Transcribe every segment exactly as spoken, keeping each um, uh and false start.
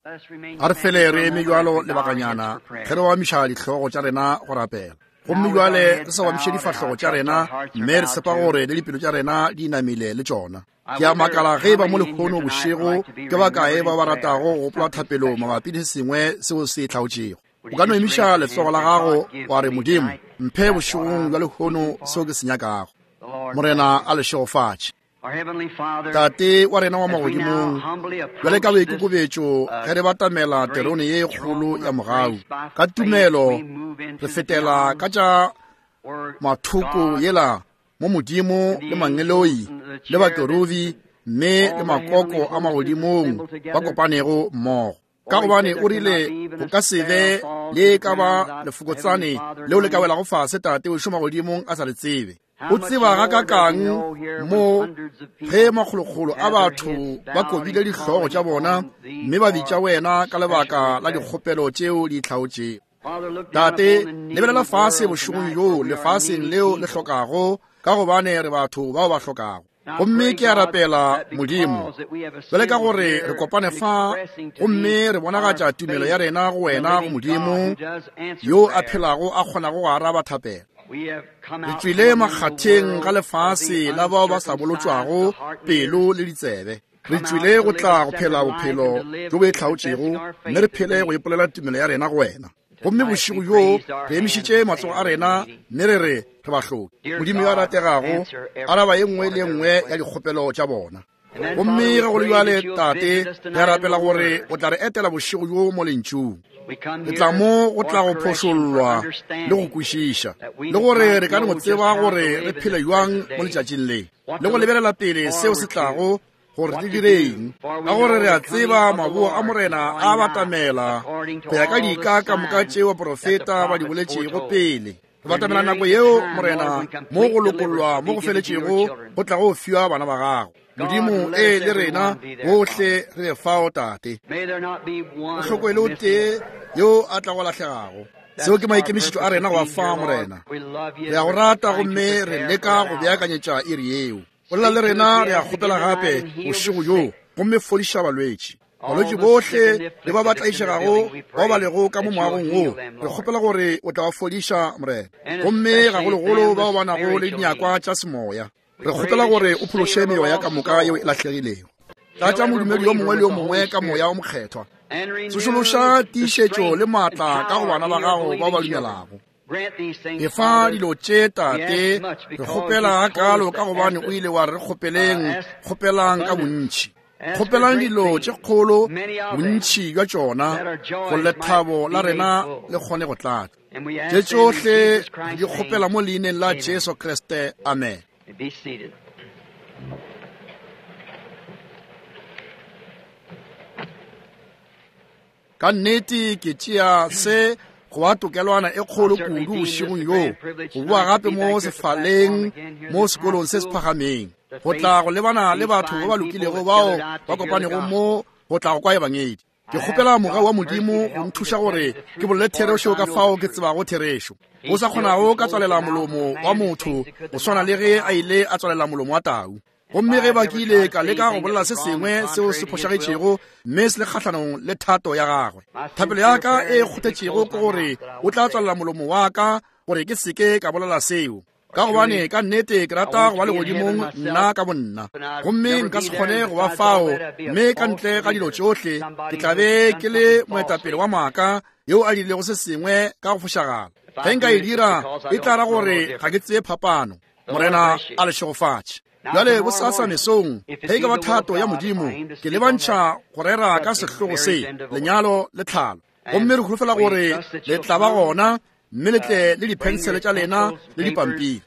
A re fele re eme bjalo lebakanyana ge re oamiša dihlogo tša rena go rapela. Gomme bjale re sa oamiše difahlogo tša rena, mme re tshepa gore le dipelo tša rena di inamile le tšona. Ke a makala ge ba mo lehono bošego ke ba kae ba ba ratago go gopola thapelo mabapi le se sengwe seo se hlaotšego. O ka no emiša letsogo la gago wa re, Modimo, mphe bošegong bja lehono seo ke se nyakago. Morena a le šegofatše. Tate wa rena wa magodimong, bjale ka boikokobetšo ge re batamela terone ye kgolo ya mogau, ka tumelo re fetela ka tša mathoko yela mo Modimo le mangeloi le bakerubi mme le makoko a magodimong ba kopanego mmogo. Ka gobane o rile go ka se be le ka ba lefokotsane leo le ka welago fase Tate o šoma godimong a sa le tsebe. O tseba ga kakang mo ge makgolokgolo a batho ba kobile dihlogo tša bona mme ba bitša wena ka lebaka la dikgopelo tšeo di hlaotšego. Tate, lebelela fase bošegong bjo lefaseng leo le hlokago, ka gobane re batho bao ba hlokago. Gomme ke a rapela Modimo, bjale ka gore re kopane fa gomme re bonagatša tumelo ya rena go wena, go Modimo yo a phelago a kgonago go araba thapelo. Re tšwile makgatheng ga lefase la bao ba sa bolotšwago pelo le ditsebe. Re tšwile go tla go phela bophelo bjo bo itlhaotšego, mme re phele go ipolela tumelo ya rena go wena. Gomme bošego bjo re emišitše matsogo a rena mme re re re bahloki. Modimo yo a rategago, araba ye nngwe le ye nngwe ya dikgopelo tša bona. Gomme ge go le bjale, Tate, re a rapela gore o tla re etela bošego bjo mo lentšung. Re tla mo go tla go phošollwa le go kwešiša, le gore re ka no tseba gore re phele bjang mo letšatšing le, le go lebelela pele seo se tlago gore re direng, ka gore re a tseba maboa a Morena a batamela go ya ka dika ka moka tšeo baprofeta ba di boletšego pele. Re batamela nako yeo, Morena, mo go lokollwa mo go feletšego go tla go fiwa bana ba gago. Modimo e le rena bohle re be fao, Tate. Go hlokwe le o tee yo a tla go lahlegago. Seo ke maikemišetšo a rena go ba fa, Morena. Re a go rata gomme re leka go beakanyetša iri yeo. Bolela le rena, re a kgopela gape bošego bjo, gomme fodiša balwetši. Balwetši bohle le ba ba tlaišegago bao ba lego ka mo moagong wo, re kgopela gore o tla ba fodiša, Morena. Gomme gagologolo bao ba nago le dinyakwa tša semoya, re kgopela gore o phološe meoya ka moka yeo e lahlegilego. Tlatša modumedi yo mongwe le yo mongwe ka moya o mokgethwa. Tsošološa tiišetšo le maatla ka go bana ba gago bao ba dumelago. Efa dilo tše, Tate, re kgopela gakalo ka gobane o ile wa re kgopeleng, kgopelang ka bontši. Kgopelang dilo tše kgolo, bontši bja tšona, gore lethabo la rena le kgone go tlatša. Tše tšohle re di kgopela mo leineng la Jesu Kriste. Amen. Ka nnete ke tšea se go ba tokelwana e kgolo kudu bošegong bjo, go boa gape mo sefaleng mo sekolong se se phagameng, go tla go lebana le batho ba ba lokilego bao ba kopanego mo go tla go kwa ebangedi. Ke kgopela mogau wa Modimo go nthuša gore ke bolele therešo ka fao ke tsebago therešo, go sa kgonago ka tswalela molomo wa motho go swana le ge a ile a tswalela molomo wa tau. Gomme ge ba kile ka leka go bolela se sengwe seo se phošagetšego mme se le kgahlanong le thato ya gagwe, thapelo ya ka e kgothetšego ke gore o tla tswalela molomo wa ka gore ke seke ka bolela seo, ka gobane ka nnete ke rata go ba legodimong nna ka bonna, gomme nka se kgone go ba fao, mme ka ntle ga dilo tšohle ke tla be ke le moetapele wa maaka yo a dirilego se sengwe ka go fošagala. Ge nka e dira, e tla ra gore ga ke tsebe phapano. Morena a le šegofatše. Bjale bosasa mesong, ge e ka ba thato ya Modimo, ke lebantšha go rera ka sehlogo se, lenyalo le tlhalo. Gomme re holofela gore le tla ba gona, mme le tle le diphensele tša lena le dipampiri.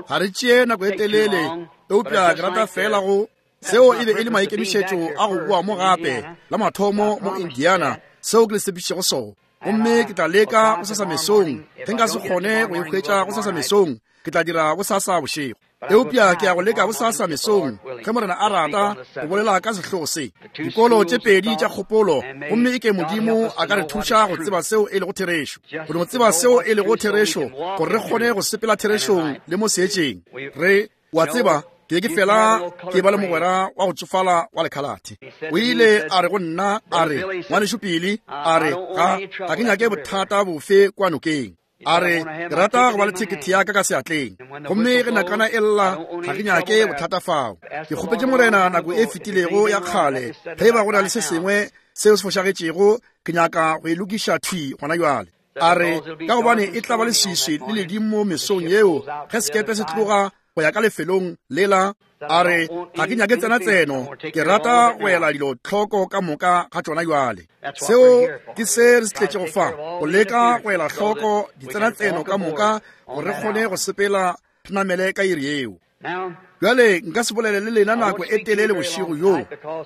Ga re tšee nako e telele, eupša ke rata fela go seo e be e le maikemišetšo a go boa mo gape la mathomo mo Indiana, seo ke le tshepišitšego sona. Gomme ke tla leka bosasa mesong. Ge nka se kgone go e hwetša bosasa mesong, ke tla dira bosasa bošego. Eupša ke ya go leka bosasa mesong, ge Morena a rata, go bolela ka sehlogo se, dikolo tše pedi tša kgopolo, gomme e ke Modimo a ka re thuša go tseba seo e lego therešo, go no tseba seo e lego therešo, gore re kgone go sepela therešong le mo seetšeng. Re, wa tseba, Ke ke fela ke ba le mogwera wa go tsofala wa lekhalate. O ile a re go nna, a re, ngwanešu Pili, a re, ga ga ke nyake bothata bofe kwa nokeng. A re, ke rata go ba le thekethe ya ka ka seatleng. Gomme ge nakana e lla, ga ke nyake bothata fao. Ke kgopetše Morena nako e fetilego ya kgale, ge ba go na le se sengwe seo se fošagetšego, ke nyaka go e lokiša thwi gona jwale. A re, ka gobane e tla ba leswiswi le ledimo mesong yeo ge sekepe se tloga go ya ka lefelong lela. A re, ga ke nyake tsena tseno, ke rata go ela dilo tlhoko ka moka ga tšona jwale. Seo ke se re se tletšego fa, go leka go ela hloko ditsena tseno ka moka gore re kgone go sepela re namele ka iri yeo. Bjale nka se bolele le lena nako e telele bošego bjo,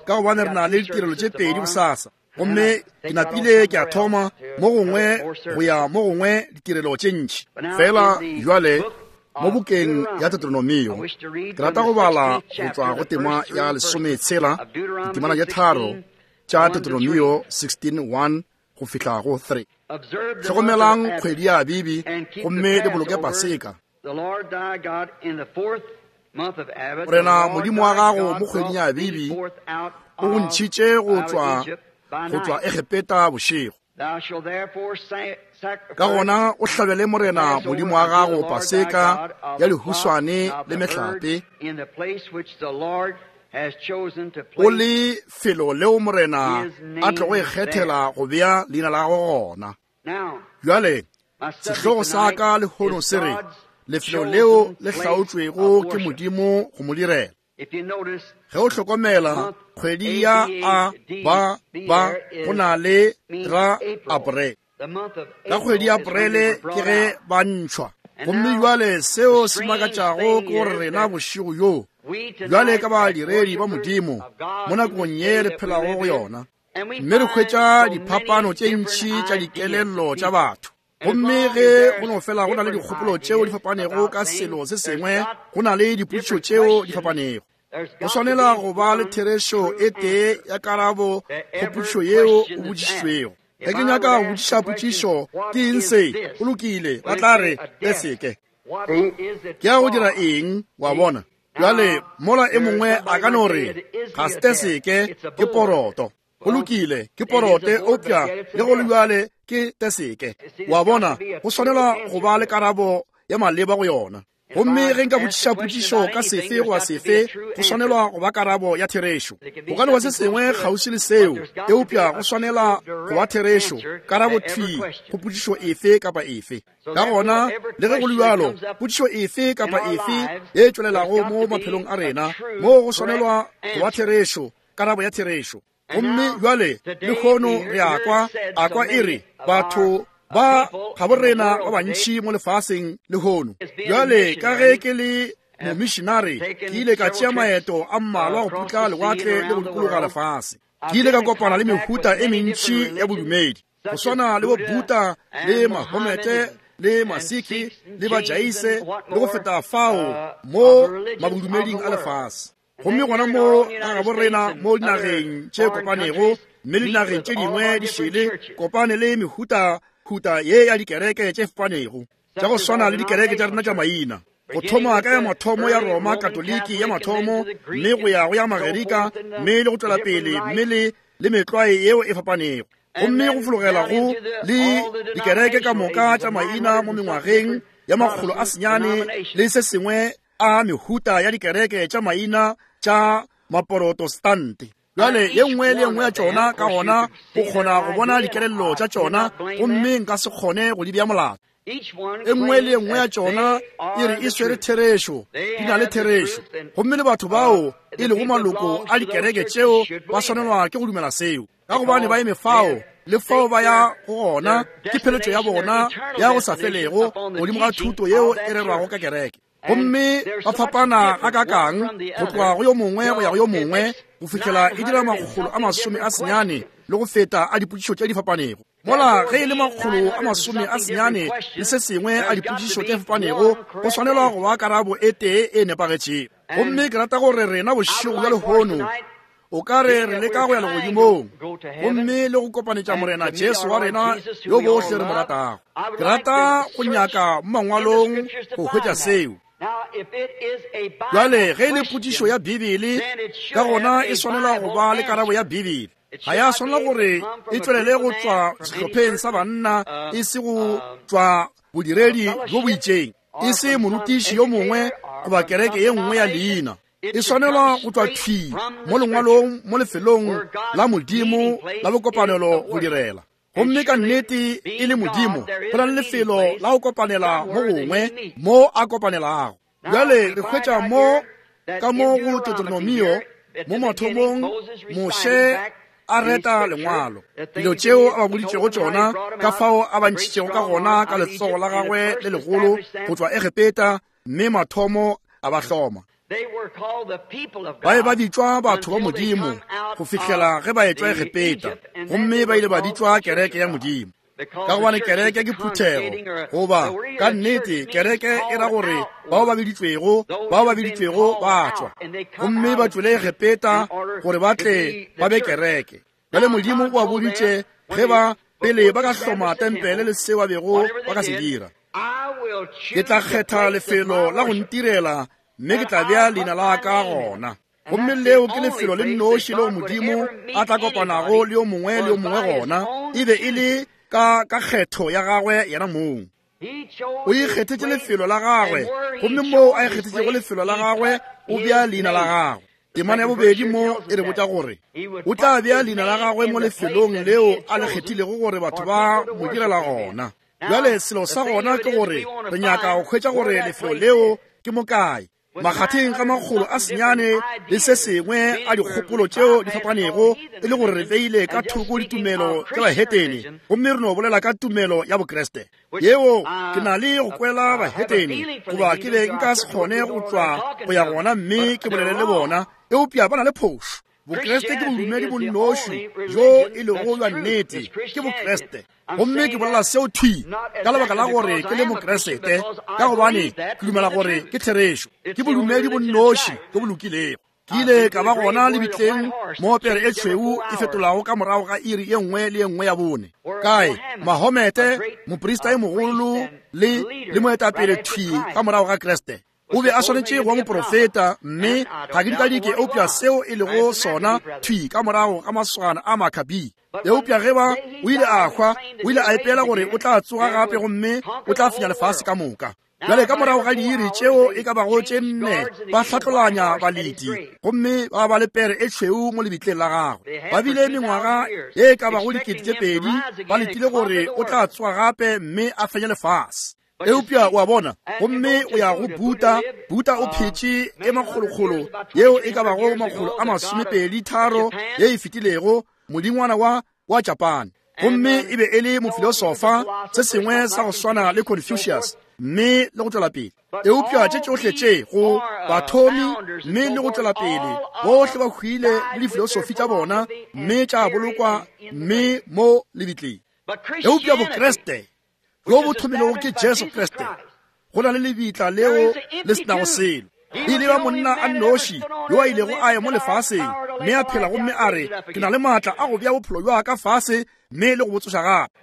ka gobane re na le ditirelo tše pedi bosasa. Gomme ke napile ke a thoma mo gongwe go ya mo gongwe ditirelo tše ntši. Fela jwale mo bukeng ya Deuteronomio, ke rata go bala go tšwa go tema ya lesometshela, ditemana tše tharo tša Deuteronomio sixteen one go fihla go three. Hlokomelang kgwedi ya Abibi gomme le boloke Paseka. Morena Modimo wa gago mo kgweding ya Abibi o go ntšhitše go tšwa go tšwa Egepeta bošego. Ka gona o hlabele Morena Modimo wa gago Paseka ya lehuswane le mehlape, o le felo leo Morena a tlogo ikgethela go bea leina la gagwe gona. Bjale sehlogo sa ka lehono se re, lefelo leo le hlaotšwego ke Modimo go mo direla. Ge o hlokomela kgwedi ya A ba ba go na le ra Aprele. Ka kgwedi ya Aprele ke ge ba ntšhwa. Gomme jwale seo se makatšago ke gore rena bošego bjo bjale ka badiredi ba Modimo mo nakong ye re phelago go yona, mme re hwetša diphapano tše ntši tša dikelello tša batho. Gomme ge go no fela go na le dikgopolo tšeo di fapanego ka selo se sengwe, go na le dipotšišo tšeo di fapanego. Go swanela go ba le therešo e tee ya karabo go potšišo yeo o botšišitšwego. Ge ke nyaka go botšiša potšišo, ke eng se? Go lokile, ba tla re, le seke. Ke ya go dira eng, wa bona? Bjale, mola e mongwe a ka no re, ga se teseke, ke poroto. Go lokile, ke porote, eupša le go le bjale ke teseke. Wa bona, go swanela go ba le karabo ya maleba go yona. Gomme ge nka botšiša potšišo ka sefe goba sefe, go swanelwa go ba karabo ya therešo. Go ka no ba se sengwe kgauswi le seo, eupša go swanela go ba therešo, karabo thwi go potšišo efe kapa efe. Ka gona, le ge go le bjalo, potšišo efe kapa efe ye tšwelelago mo maphelong a rena, mo go swanelwa go ba therešo, karabo ya therešo. Gomme bjale lehono re a kwa, a kwa e re, batho ba ga bo rena ba bantši mo lefaseng lehono. Bjale ka ge ke le momissionary, ke ile ka tšea maeto a mmalwa go putla lewatle le go dikologa lefase. Ke ile ka kopana le mehuta e mentši ya bodumedi, go swana le bo Buddha le Mahomete le Masiki le Bajaise le go feta fao mo mabodumeding a lefase. Gomme gona mo ga gabo rena mo dinageng tše kopanego, mme le dinageng tše dingwe di šele, kopane le mehuta huta ye ya dikereke tše fapanego, tša go swana le dikereke tša rena tša maina. Go thoma ka ya mathomo ya Roma Katoliki ya mathomo, mme go ya go ya Magerika, mme le go tšwela pele, mme le le metlwae yeo e fapanego. Gomme go fologela go le dikereke ka moka tša maina mo mengwageng ya makgolo a senyane le se sengwe a mehuta ya dikereke tša maina tša maprotestante. Bjale ye nngwe le ye nngwe ya tšona ka gona o kgona go bona dikelello tša tšona, gomme nka se kgone go di bea molato. E nngwe le ye nngwe ya tšona e re e swere therešo, di na le therešo. Gomme le batho bao e lego maloko a dikereke tšeo ba swanelwa ke go dumela seo, ka gobane ba eme fao le fao ba ya go gona ke pheletšo ya bona ya go sa felego godimo ga thuto yeo e rerwago ka kereke. Gomme ba fapana ga kakang go tloga go yo mongwe go ya go yo mongwe, go fihlela e dira makgolo a masome a senyane le go feta a dipotšišo tše di fapanego. Mola ge e le makgolo a masome a senyane le se sengwe a dipotšišo tše fapanego, go swanelwa go ba karabo e tee e nepagetšego. Gomme ke rata gore rena bošego bja lehono o ka re re leka go ya legodimong gomme le go kopanetša Morena Jesu wa rena yo bohle re mo ratago. Ke rata go nyaka mo mangwalong go hwetša seo. Bjale ge e le potšišo ya Bibele, ka gona e swanela go ba le karabo ya Bibele. Ga ya swanela gore e tšwelele go tšwa sehlopheng sa banna, e se go tšwa bodiredi bjo bo itšeng, e se morutiši yo mongwe goba kereke ye nngwe ya leina. E swanelwa go tšwa thwi mo lengwalong, mo lefelong la Modimo la bokopanelo go direla. Gomme ka nnete e le Modimo, go na le lefelo la go kopanela mo gongwe mo a kopanelago. Bjale re hwetša mo ka mo go Deuteronomio, mo mathomong Moshe a reta lengwalo, dilo tšeo a ba boditšego tšona, ka fao a ba ntšhitšego ka gona ka letsogo la gagwe le legolo go tšwa Egepeta, mme mathomo a ba hloma. Ba be ba bitšwa batho ba Modimo go fihlela ge ba etšwa Egepeta, gomme ba ile ba bitšwa kereke ya Modimo. Ka gobane kereke ke phuthego, goba ka nnete kereke e ra gore bao ba biditšwego, bao ba biditšwego ba tšwa, gomme ba tšwele Egepeta gore ba tle ba be kereke. Bjale Modimo o ba boditše ge ba pele ba ka hloma tempele le seo ba bego ba ka se dira. Ke tla kgetha lefelo la go ntirela, mme ke tla bea leina la ka gona. Gomme leo ke lefelo le nnoši leo Modimo a tla kopanago le yo mongwe le yo mongwe gona, e be e le ka ka kgetho ya gagwe yena mong. O ikgethetše lefelo la gagwe, gomme moo a ikgethetšego lefelo la gagwe o bea leina la gagwe. Temana ya bobedi mo e re botša gore o tla bea leina la gagwe mo lefelong leo a le kgethilego gore batho ba mo direla gona. Bjale selo sa gona ke gore re nyaka go hwetša gore lefelo leo ke mo kae. Makgatheng ga makgolo a senyane le se sengwe a dikgopolo tšeo di fapanego, e le gore re beile ka thoko ditumelo tša bahetene, gomme re no bolela ka tumelo ya Bokreste. Yeo ke na le go kwela bahetene, goba ke be nka se kgone go tšwa go ya gona mme ke bolele le bona, eupša ba na le phošo. Bokreste ke bodumedi bo nnoši jo e lego bja nnete, ke Bokreste. Gomme ke bolela seo thwi ka lebaka la gore ke le Mokreste, ka gobane ke dumela gore ke therešo. Ke bodumedi bo nnoši jo bo lokilego. Ke ile ka ba gona lebitleng mo pere e tšhweu e fetolago ka morago ga iri ye nngwe le ye nngwe ya bone. Kae Mahomete, moprista e mogolo le le moetapele thwi ka morago ga Kreste. O be a swanetše go ba moprofeta, mme ga ke dikadike eupša seo e lego sona thwi ka morago ga maswana a Makabi. Eupša ge ba o ile a hwa, o ile a ipela gore o tla tsoga gape gomme o tla fenya lefase ka moka. Bjale ka morago ga diiri tšeo e ka bago tše nne ba hlatlolanya baleti, gomme ba ba le pere e tšhweu mo lebitleng la gagwe. Ba bile mengwaga ye e ka bago dikete tše pedi ba letile gore o tla tsoga gape mme a fenye lefase. Eupša o a bona, gomme o ya go Buddha. Buddha o phetše e makgolokgolo yeo e ka bago makgolo a masomepedi tharo ye e fetilego, modingwana wa wa Japan. Gomme e be e le mofilosofa, se sengwe sa go swana le Confucius, mme le go tšwela pele. Eupša tše tšohle tše go bathomi mme le go tšwela pele, bohle ba hwile le difilosofi tša bona, mme tša bolokwa mme mo lebitleng. Eupša Bokreste jo bo thomilego ke Jesu Kriste, go na le lebitla leo le se nago selo. E ile ba monna a nnoši yo a ilego a ya mo lefaseng mme a phela, gomme a re, ke na le maatla a go bea bophelo bja ka fase mme le go bo tsoša gape.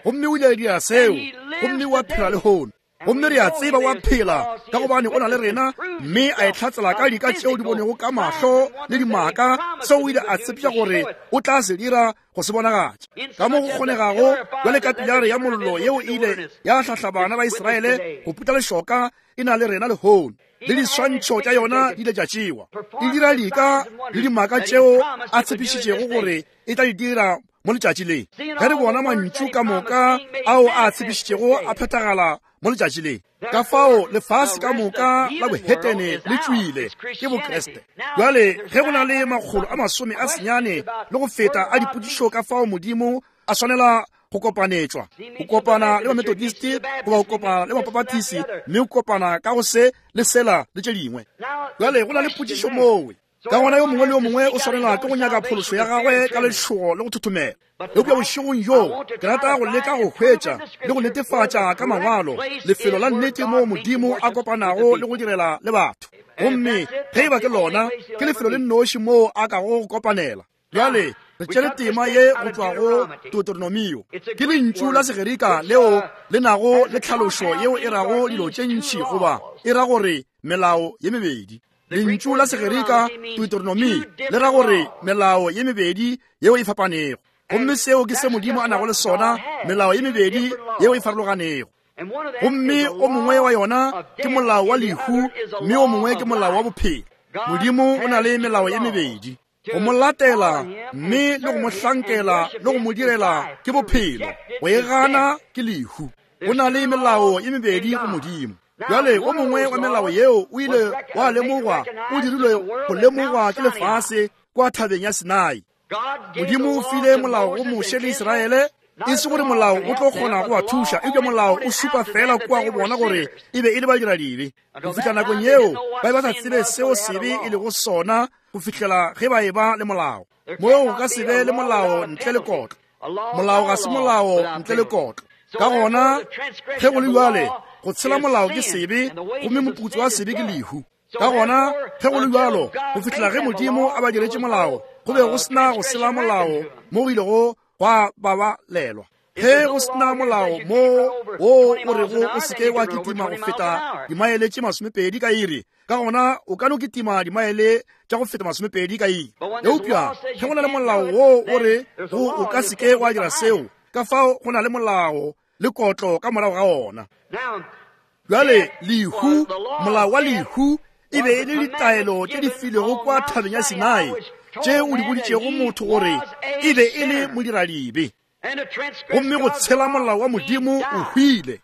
Gomme o ile a dira seo, gomme wa phela lehono. Gomme re a tseba wa phela ka gobane o na le rena, mme a e hlatsela ka dika tšeo di bonego ka mahlo le dimaka, seo o ile a tshepiša gore o tla se dira go se bonagatša ka mo go kgonegago. Bjale ka pilare ya mollo yeo e ile ya hlahla bana ba Israele go putla lešoka e na le rena lehono, le diswantšho tša yona di ile tša tšewa. E dira dika le dimaka tšeo a tshepišitšego gore e tla di dira mo letšatši le. Ge re bona mantšu ka moka ao a tshepišitšego a phethagala mo letšatši le, ka fao lefase ka moka la bohetene le tšwile ke Bokreste. Bjale ge go na le makgolo a masome a senyane le go feta a dipotšišo ka fao Modimo a swanela go kopanetšwa, go kopana le Bamethodist goba go kopana le Bapapatisi, mme go kopana ka go se le sela le tše dingwe. Bjale go na le potšišo mowe. Ka gona yo mongwe le yo mongwe o swanela ke go nyaka phološo ya gagwe ka letšhogo le go thothomela. Eupša bošegong bjo ke rata go leka go hwetša le go netefatša ka mangwalo lefelo la nnete moo Modimo a kopanago le go direla le batho. Gomme ge e ba ke lona, ke lefelo le nnoši moo a kago go kopanela. Bjale Re tšere tema ye go tšwa go Deuteronomio. Ke lentšu la Segerika leo le nago le tlhalošo yeo e rago dilo tše ntši goba e ra gore melao ye mebedi. Lentšu la Segerika Deuteronomy le ra gore melao ye mebedi yeo e fapanego. Gomme seo ke se Modimo a nago le sona, melao ye mebedi yeo e farologanego. Gomme o mongwe wa yona ke molao wa lehu, mme o mongwe ke molao wa bophelo. Modimo o na le melao ye mebedi. Go mo latela mme le go mo hlankela le go mo direla ke bophelo, go e gana ke lehu. Go na le melao ye mebedi go Modimo. Bjale o mongwe wa melao yeo o ile wa lemogwa, o dirilwe go lemogwa ke lefase kwa thabeng ya Sinai. Modimo o file molao go Moshe le Israele, e se gore molao o tlo kgona go ba thuša, eupša molao o supa fela kua go bona gore e be e le badiradibe. Go fihla nakong yeo ba be ba sa tsebe seo sebe e lego sona go fihlela ge ba eba le molao. Moo go ka se be le molao ntle le kotlo. Molao ga se molao ntle le kotlo. Ka gona ge go le bjale, go tshela molao ke sebe, gomme moputso wa sebe ke lehu. Ka gona ge go le bjalo, go fihlela ge Modimo a ba diretše molao, go be go sena go sela molao mo go ilego gwa babalelwa. Ge go sena molao mo wo o rego o seke wa kitima go feta dimaele tše masomepedi ka iri, ka gona o ka no kitima dimaele tša go feta masomepedi ka iri. Eupša ge go na le molao wo o re go o ka seke wa dira seo, ka fao go na le molao le kotlo ka morago ga ona. Bjale lehu, molao wa lehu e be e le ditaelo tše di filwego kwa thabeng ya Sinai, tše o di boditšego motho gore e be e le modiradibe. Gomme go tshela molao wa Modimo o hwile.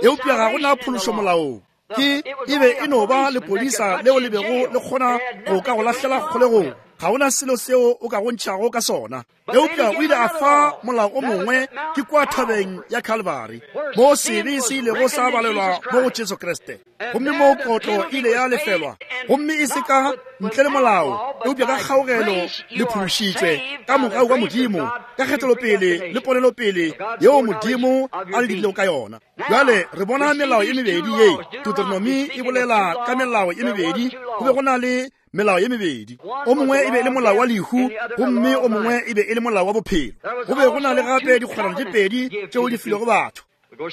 Eupša ga go na phološo molaong. Ke e be e no ba lepodisa leo le bego le kgona go ka go lahlela kgolegong. Ga ona selo seo o ka go ntšhago ka sona. Eupša o ile a fa molao o mongwe ke kwa thabeng ya Calvary, mo sebe se ilego sa balelwa mo go Jesu Kriste. Gomme mo kotlo ile ya lefelwa, gomme e se ka ntle le molao, eupša ka kgaogelo le phološitšwe ka mogau wa Modimo, ka kgethelopele le ponelopele yeo Modimo a le dirilego ka yona. Bjale re bona melao ye mebedi ye. Deuteronomy e bolela ka melao ye mebedi. Go be go na le melao ye mebedi. O mongwe e be e le molao wa lehu, gomme o mongwe e be e le molao wa bophelo. Go be go na le gape dikgwerano tše pedi tšeo di filwego batho.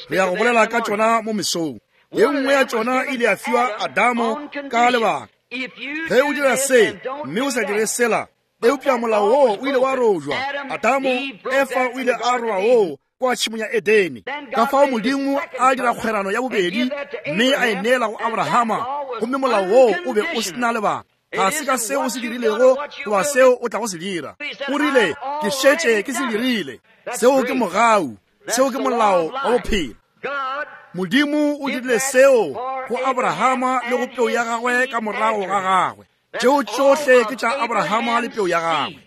Re ya go bolela ka tšona mo mesong. Ye nngwe ya tšona ile ya fiwa Adamo ka lebaka. Ge o dira se mme o sa dire sela, eupša molao woo o ile wa rojwa. Adamo, Efa o ile a roba woo kwa tšhemong ya Edene. Ka fao Modimo a dira kgwerano ya bobedi mme a e neela go Abrahama, gomme molao woo o be o sena lebaka. Ga se ka seo o se dirilego goba seo o tlago se dira. O rile, ke šetše ke se dirile. Seo ke mogau, seo ke molao wa bophelo. Modimo o dirile seo go Abrahama le go peu ya gagwe ka morago ga gagwe. Tšeo tšohle ke tša Abrahama le peu ya gagwe.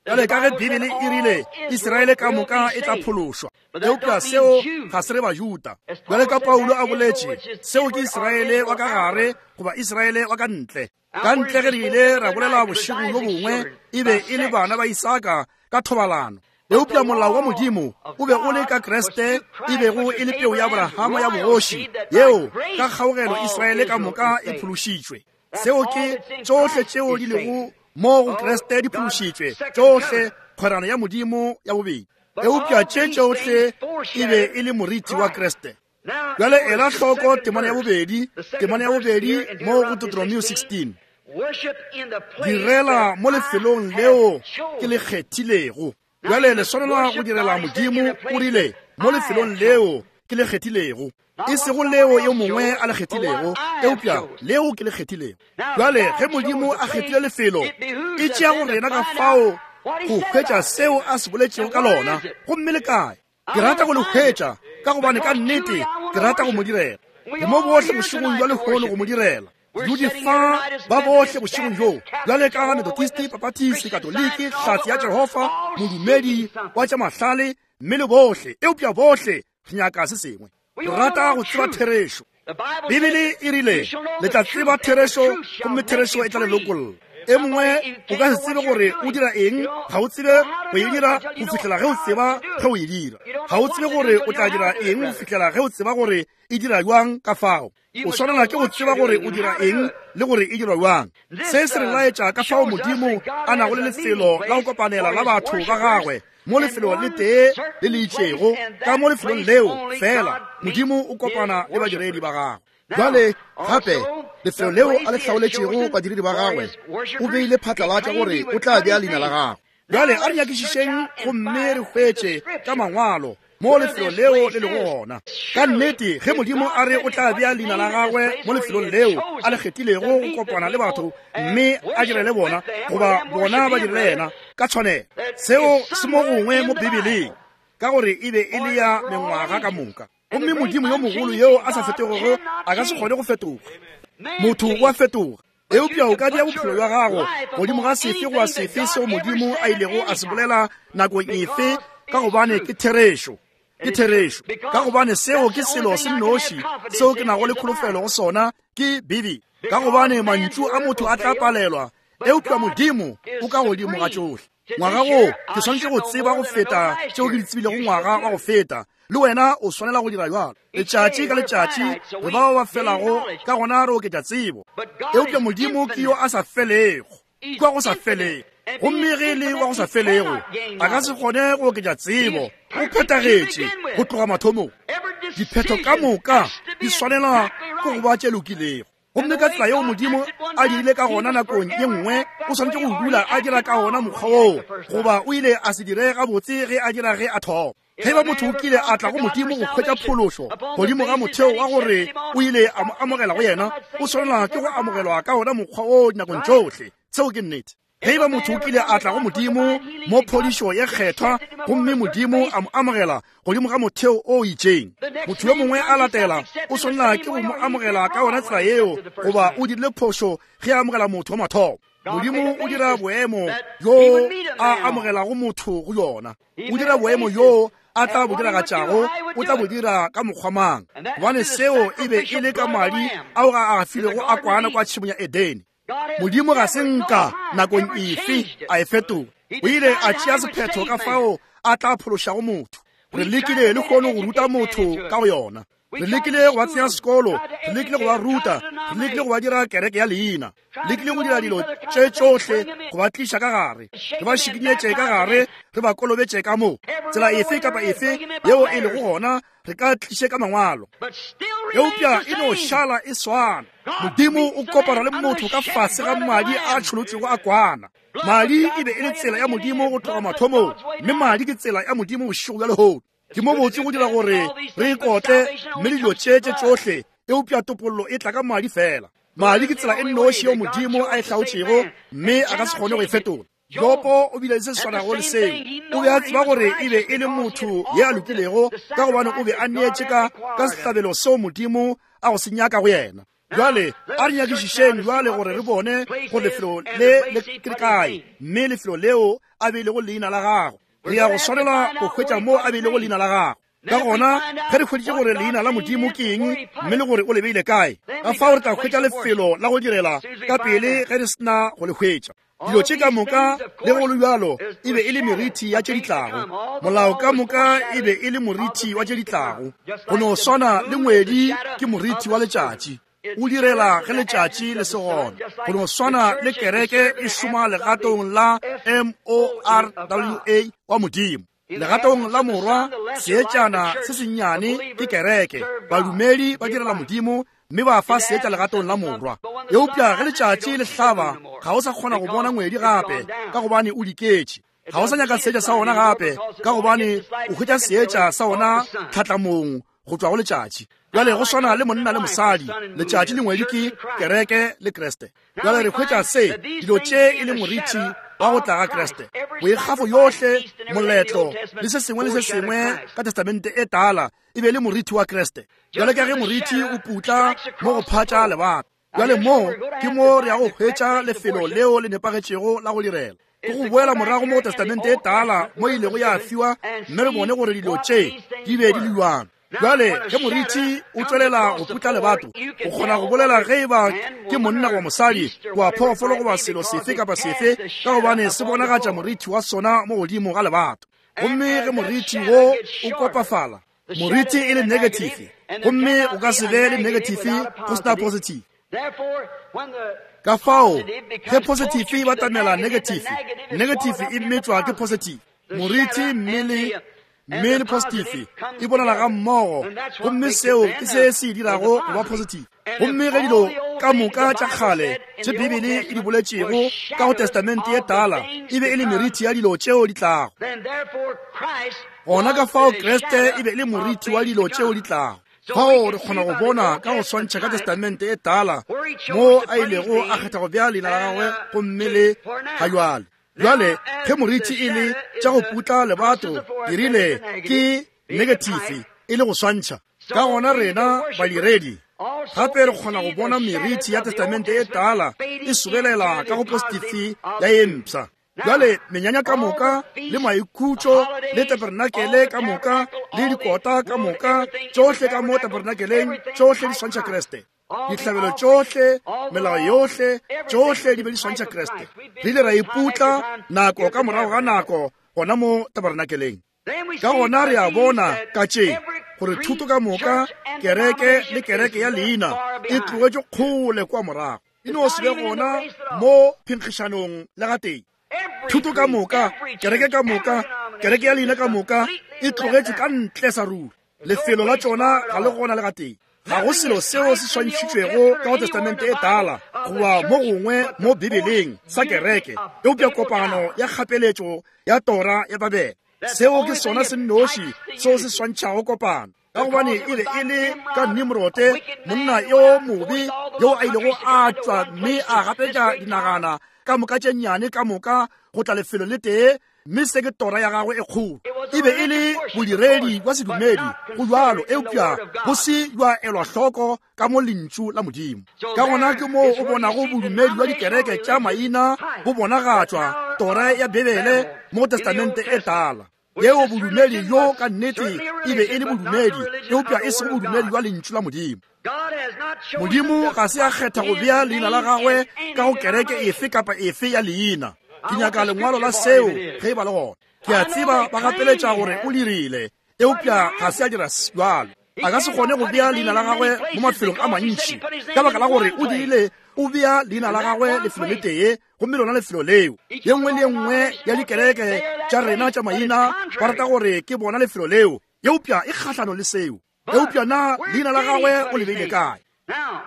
Bjale ka ge Bibele e rile Israele ka moka e tla phološwa, eupša seo ga se re Bajuda. Bjale ka Paulo a boletše, seo ke Israele wa ka gare goba Israele wa ka ntle. Ka ntle ge re ile ra bolela bošego bjo bongwe, e be e le bana ba Isaka ka thobalano. Eupša molao wa Modimo o be o le ka Kriste, e bego e le peu ya Abrahama ya bogoši, yeo ka kgaogelo Israele ka moka e phološitšwe. Seo ke tšohle tšeo di lego mo go Kriste di phološitšwe, tšohle kgwerano ya Modimo ya bobedi. Eupša tše tšohle e be e le moriti wa Kriste. Bjale ela hloko temana ya bobedi, temana ya bobedi mo go Deuteronomio sixteen. Direla mo lefelong leo ke le kgethilego. Bjale le swanelwa go direla Modimo, o rile, mo lefelong leo ke le kgethilego. E sego leo yo mongwe a le kgethilego, eupša leo ke le kgethilego. Bjale ge Modimo a kgethile lefelo, e tšea go rena ka fao go hwetša seo a se boletšego ka lona. Gomme le kae? Ke rata go le hwetša, ka gobane ka nnete ke rata go mo direla. Ke mo bohle bošegong bja lehono go mo direla. Dudi fa ba bohle bošegong bjo, bjale ka Methodist, Baptist, Katoliki, Hlatse ya Jehofa, modumedi wa tša mahlale, mme le bohle. Eupša bohle re nyaka se sengwe. Re rata go tseba therešo. Bibele e rile, le tla tseba therešo, gomme therešo e tla le lokolla. E mongwe o ka se tsebe gore o dira eng, ga o tsebe go e dira go fihlela ge o tseba ge o e dira. Ga o tsebe gore o tla dira eng go fihlela ge o tseba gore e dira bjang ka fao. O swanela ke go tseba gore o dira eng le gore e dirwa bjang. Se se re laetša ka fao Modimo a nago le lefelo la go kopanela la batho ba gagwe mo lefelong le tee le le itšego. Ka mo lefelong leo fela Modimo o kopana le badiredi ba gagwe. Bjale gape lefelo leo a le hlaoletšego badiredi ba gagwe, o beile phatlalatša gore o tla bea leina la gagwe. Bjale a re nyakišišeng gomme re hwetše ka mangwalo mo lefelo leo le lego gona. Ka nnete ge Modimo a re o tla bea leina la gagwe mo lefelong leo a le kgethilego go kopana le batho mme a direle bona, goba bona ba direle yena ka tshwanelo, seo se mo gongwe mo Bibeleng, ka gore e be e le ya mengwaga ka moka. Gomme Modimo yo mogolo yo a sa fetogego a ka se kgone go fetoga. Motho o a fetoga, eupša o ka bea bophelo bja gago godimo ga sefe goba sefe seo Modimo a ilego a se bolela nakong efe, ka gobane ke therešo. Ke therešo, ka gobane seo ke selo se nnoši seo ke nago le kholofelo go sona, ke Bibele. Ka gobane mantšu a motho a tla palelwa, eupša Modimo o ka godimo ga tšohle. Ngwaga wo ke swanetše go tseba go feta tšeo ke di tsebilego ngwaga wa go feta, le wena o swanela go dira bjalo. Letšatši ka letšatši re bao ba felago, ka gona re oketša tsebo. Eupša Modimo ke yo a sa felego, kwa go sa felego. Gomme ge e le wa go sa felego, a ka se kgone go oketša tsebo. O phethagetše go tloga mathomong. Diphetho ka moka di swanela ke go ba tše lokilego. Gomme ka tsela yeo Modimo a dirile ka gona nakong ye nngwe, o swanetše go dula a dira ka gona mokgwa woo, goba o ile a se dire gabotse ge a dira ge a thoma. Ge ba motho o kile a tla go Modimo go hwetša phološo godimo ga motheo wa gore o ile a mo amogela go yena, o swanela ke go amogelwa ka gona mokgwa woo dinakong tšohle. Seo ke nnete. Ge ba motho o kile a tla go Modimo mo phodišo ye kgethwa, gomme Modimo a mo amogela godimo ga motheo o itšeng, motho yo mongwe a latela o swanela ke go mo amogela ka yona tsela yeo, goba o dirile phošo ge a amogela motho wa mathomo. Modimo o dira boemo yo a amogelago motho go yona. O dira boemo yo a tla bo diragatšago, o tla bo dira ka mokgwa mang, gobane seo e be e le ka madi ao a a filego a kwana kwa tšhemong ya Edene. Modimo ga se nka nakong efe a e fetola. O ile a tšea sephetho ka fao a tla phološago motho. Re lekile le kgone go ruta motho ka go yona. Re lekile go ba tsenya sekolo, re lekile go ba ruta, re lekile go ba dira kereke ya leina, lekile go dira dilo tše tšohle go ba tliša ka gare, re ba šikinyetše ka gare, re ba kolobetše ka mo. Tsela efe kapa efe yeo e lego gona, re ka tliše ka mangwalo, eupša e no šala e swana. Modimo o kopana le motho ka fase ga madi a tšholotšego a kwana. Madi e be e le tsela ya Modimo go tloga mathomong, mme madi ke tsela ya Modimo bošego bja lehono. Ke mo botse go dira gore re ikotle mme le dilo tše tše tšohle, eupša topollo e tla ka madi fela. Madi ke tsela e nnoši yeo Modimo a e hlaotšego, mme a ka se kgone go e fetola. Jopo o bile le se se swanago le seo. O be a tseba gore e be e le motho ye a lokilego, ka gobane o be a neetše ka ka sehlabelo seo Modimo a go se nyaka go yena. Bjale a re nyakišišeng bjale gore re bone gore lefelo le le ke kae, mme lefelo leo a beilego leina la gagwe. Re ya go swanela go hwetša mo a beilego leina la gagwe. Ka gona ge re hweditše gore leina la Modimo ke eng, mme le gore o le beile kae, ka fao re tla hwetša lefelo la go direla ka pele ge re sena go le hwetša. Dilo tše ka moka le go le bjalo e be e le merithi ya tše di tlago. Molao ka moka e be e le morithi wa tše di tlago. Go no swana le ngwedi ke morithi wa letšatši, o direla ge letšatši le se gona. Go no swana le kereke e šoma legatong la M O R W A wa Modimo. Legatong la morwa, seetšana se sennyane ke kereke. Badumedi ba direla Modimo mme ba fa seetša legatong la morwa. Eupša ge letšatši le hlaba, ga o sa kgona go bona ngwedi gape, ka gobane o diketše. Ga o sa nyaka seetša sa ona gape, ka gobane o hwetša seetša sa ona tlhatlamong go tšwa go letšatši. Bjale go swana le monna le mosadi, letšatši le ngwedi ke kereke le Kriste. Bjale re hwetša se dilo tše e le morithi wa go tla ga Kriste. Boikgafo yohle, moletlo le se sengwe le se sengwe ka Testamente e tala e be le morithi wa Kriste. Bjale ka ge morithi o putla mo go phatša lebaka, bjale mo ke mo re ya go hwetša lefelo leo le nepagetšego la go direla. Ke go boela morago mo go Testamente e tala mo ilego ya fiwa, mme re bone gore dilo tše di be di le bjang. Bjale ge morithi o tšwelela go putla lebato, o kgona go bolela ge e ba ke monna goba mosadi, goba phoofolo goba selo sefe kapa sefe, ka gobane se bonagatša morithi wa sona mo godimo ga lebato. Gomme ge moriti wo o kopafala, moriti e le negative, gomme o ka se be le negative go sena positive. Ka fao ge positive e batamela negative, negative e metšwa ke positive. Moriti mme le mme le positive e bonala ga mmogo, gomme seo ke se se dirago go ba positive. Gomme ge dilo ka moka tša kgale tše Bibele e di boletšego ka go Testamente ye Tala e be e le meriti ya dilo tšeo di tlago, gona ka fao Kriste e be e le moriti wa dilo tšeo di tlago. Fao re kgona go bona ka go swantšha ka Testamente e Tala mo a ilego a kgetha go bea leina la gagwe gomme le ga jwale. Jwale ge moriti e le tša go putla lebato, ke rile ke negative e le go swantšha. Ka gona rena badiredi gape re kgona go bona meriti ya Testamente e Tala e sobelela ka go positive ya ye mpsha. Jwale menyanya ka moka le maikhutšo le tabernakele ka moka le dikota ka moka, tšohle ka mo tabernakeleng, tšohle di swantšha Kriste. Dihlabelo tšohle, melao yohle, tšohle di be di swantšha Kriste. Re ile ra iputla nako ka morago ga nako gona mo tabernakeleng. Ka gona re a bona ka tše gore thuto ka moka, kereke le kereke ya leina e tlogetše kgole kwa morago, e no se be gona mo phenkgišanong le gatee. Thuto ka moka, kereke ka moka, kereke ya leina ka moka e tlogetše ka ntle sa ruri. Lefelo la tšona ga le gona le gatee. Ga go selo seo se swantšhitšwego ka go Testamente e Tala goba mo gongwe mo Bibeleng sa kereke, eupša kopano ya kgapeletšo ya tora ya Babele. Seo ke sona se nnoši seo se swantšhago kopano, ka gobane e be e le ka Nimrote, monna yo mobe yo a ilego a tšwa mme a gapetša dinagana ka moka tše nnyane ka moka go tla lefelo le tee, mme se ke tora ya gagwe e kgolo. E be e le bodiredi bja sedumedi go jwalo, eupša bo se bja elwa hloko ka mo lentšu la Modimo. Ka gona ke moo o bonago bodumedi bja dikereke tša maina bo bonagatšwa tora ya Bibele mo Testamente e Tala. Yeo bodumedi bjo ka nnete e be e le bodumedi, eupša e sego bodumedi bja lentšu la Modimo. Modimo ga se a kgetha go bea leina la gagwe ka go kereke efe kapa efe ya leina. Ke nyaka lengwalo la seo ge e ba le gona. Ke a tseba ba gapeletša gore o dirile, eupša ga se a dira bjalo. A ka se kgone go bea leina la gagwe mo mafelong a mantši, ka baka la gore o dirile o bea leina la gagwe lefelo le tee, gomme lona lefelo leo. Ye nngwe le ye nngwe ya dikereke tša rena tša maina ba rata gore ke bona lefelo leo, eupša e kgahlano le seo. Eupša na leina la gagwe o le beile kae?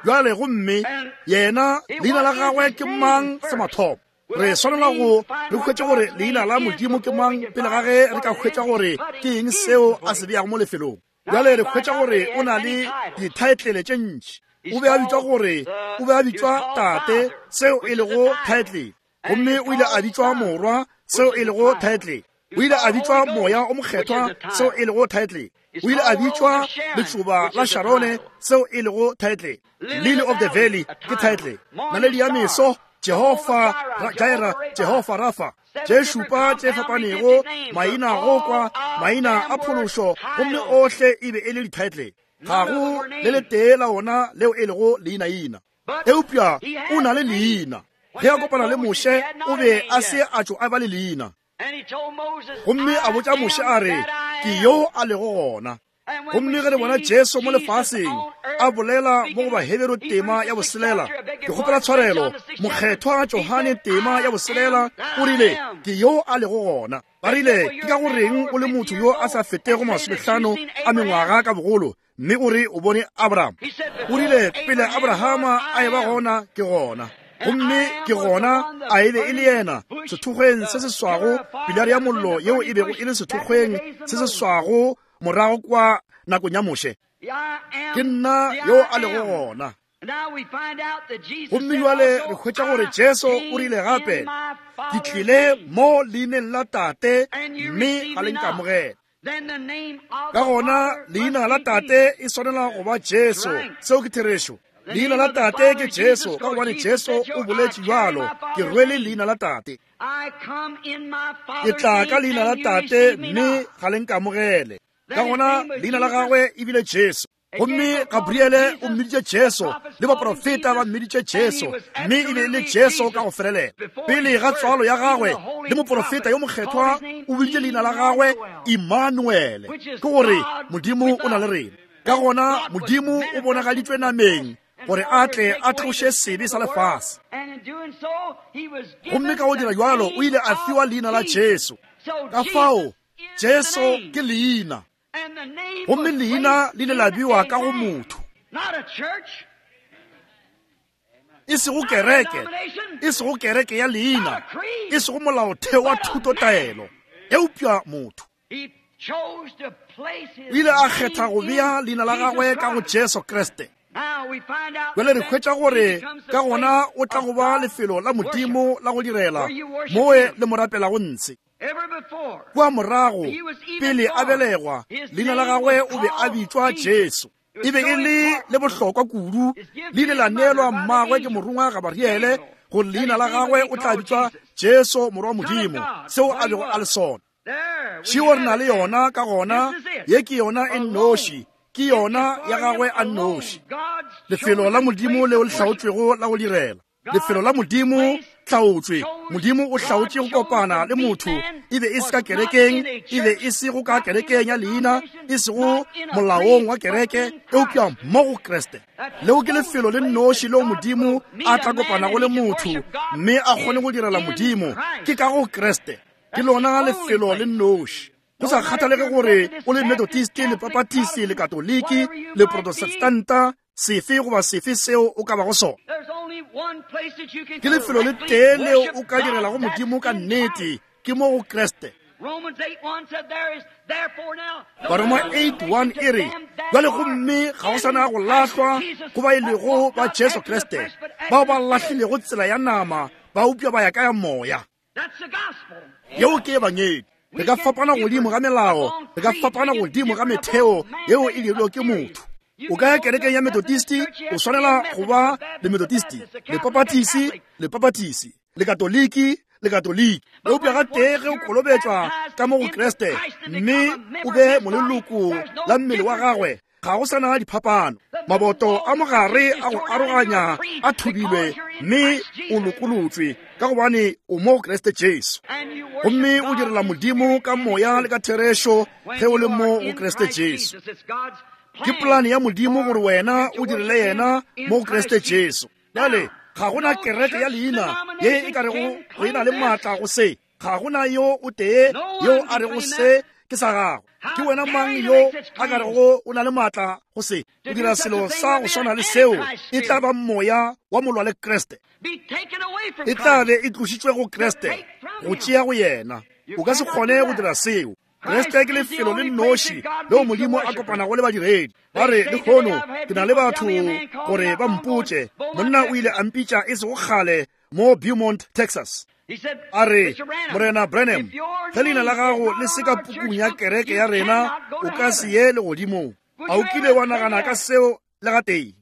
Jwale gomme yena leina la gagwe ke mang sa mathomo? Re swanela go re hwetše gore leina la Modimo ke mang pele ga ge re ka hwetša gore ke eng seo a se beago mo lefelong. Jwale re hwetša gore o na le dithaetlele tše ntši. O be a bitšwa gore o be a bitšwa Tate, seo e lego thaetlele. Gomme o ile a bitšwa Morwa, seo e lego thaetlele. O ile a bitšwa Moya o Mokgethwa, seo e lego thaetlele. O ile a bitšwa Letšoba la Sharone, seo e lego thaetlele. Lily of the Valley ke thaetlele. Naledi ya meso, Jehofa Jaira, Jehofa Rafa, tše šupa tše fapanego, maina go kwa, maina a phološo, gomme ohle e be e le dithaetlele. Ga go le letee la ona leo e lego leinaina, eupša o na le leina. Ge a kopana le Moshe, o be a se a tšo a ba le leina. Gomme a botša Moshe a re, ke yo a lego gona. Gomme ge re bona Jesu mo lefaseng a bolela mo go Baheberu tema ya boselela, ke kgopela tshwarelo, Mokgethwa Johane tema ya boselela, o rile, ke yo a lego gona. Ba rile, ke ka goreng o le motho yo a sa fetego masomehlano a mengwaga ka bogolo, mme o re o bone Abraham? O rile, pele Abrahama a eba gona, ke gona. Gomme ke gona a e be e le yena sethokgweng se se swago, pilare ya mollo yeo e bego e le sethokgweng se se swago morago kwa nakong ya Moshe. Ke nna yo a lego gona. Gomme jwale re hwetša gore Jesu o rile gape, ke tlile mo leineng la Tate, mme ga le nkamogele. Ka gona leina la Tate e swanela go ba Jesu. Seo ke therešo. Leina la Tate ke Jesu, ka gobane Jesu o boletše bjalo, ke rwele leina la Tate. Ke tla ka leina la Tate, mme ga le nkamogele. Ka gona leina la gagwe e bile Jesu. Gomme Gabriele o mmiditše Jesu, le baprofeta ba mmiditše Jesu, mme e be e le Jesu ka go felelela. Pele ga tswalo ya gagwe, le moprofeta yo mokgethwa o biditše leina la gagwe Immanuele, ke gore Modimo o na le rena. Ka gona Modimo o bonagaditšwe nameng gore a tle a tloše sebe sa lefase. Gomme ka go dira jwalo o ile a fiwa leina la Jesu. Ka fao Jesu ke leina, gomme leina le ile la bewa ka go motho, e sego kereke, e sego kereke ya leina, e sego molaotheo wa thutotaelo, eupša motho. O ile a kgetha go bea leina la gagwe ka go Jesu Kriste. Bjale re hwetša gore ka gona o tla go ba lefelo la Modimo la go direla, moe le mo rapelago ntshe. Kua morago, pele a belegwa, leina la gagwe o be a bitšwa Jesu. E be e le le bohlokwa kudu, le ile la neelwa mmagwe ke morongwa Gabriele gore leina la gagwe o tla bitšwa Jesu morwa Modimo, seo a bego a le sona. Šeo re na le yona ka gona, ye ke yona e nnoši, ke yona ya gagwe a nnoši. Lefelo la Modimo leo le hlaotšwego la go direla. Lefelo la Modimo hlaotšwe. Modimo o hlaotše go kopana le motho, e be e se ka kerekeng, e be e se go ka kerekeng ya leina, e sego molaong wa kereke, eupša mo go Kriste. Leo ke lefelo le nnoši leo Modimo a tla kopanago le motho mme a kgone go direla Modimo, ke ka go Kriste. Ke lona lefelo le nnoši. Go sa kgathalege gore o le Methodist, le Baptist, le Katoliki, le Protestanta, sefe goba sefe seo o ka bago sona, ke lefelo le tee leo o ka direlago Modimo ka nnete, ke mo go Kriste. Baroma eight one e re, bjale gomme ga go sana go lahlwa go ba e lego ba Jesu Kriste, bao ba lahlilego tsela ya nama, ba upša ba ya ka ya moya. Yeo ke ebangedi. Re ka fapana godimo ga melao, re ka fapana godimo ga metheo yeo e dirilwego ke motho. O ka ya kerekeng ya Methodist, o swanela go ba le Methodist, le Baptist, le Baptist, le Katoliki, le Katoliki. Eupša ga tee ge o kolobetšwa ka mo go Kriste mme o be moleloko la mmele wa gagwe, ga go sana diphapano. Maboto a mogare a go aroganya a thubilwe mme o lokolotswe ka gobane o mo go Kriste Jesu. Gomme o direla Modimo ka moya le ka therešo ge o le mo go Kriste Jesu. Ke polane ya Modimo gore wena o direle yena mo go Kriste Jesu. Bjale ga gona kereke ya leina ye e ka rego go e na le maatla go se. Ga gona yo o tee yo a rego se ke sa gago. Ke wena mang yo a ka rego o na le maatla go se? O dira selo sa go swana le seo, e tla ba moya wa molwa le Kriste. E tla be e tlošitšwe go Kriste, go tšea go yena. O ka se kgone go dira seo. Kriste ke lefelo le nnoši leo Modimo a kopanago le badiredi. Ba re, lehono ke na le batho gore ba mpotše, monna o ile a mpitša e sego kgale mo Beaumont, Texas. A re, Morena Branham, ge leina la gago le se ka pukung ya kereke ya rena, o ka se ye legodimong. A o kile wa nagana ka seo le gatee?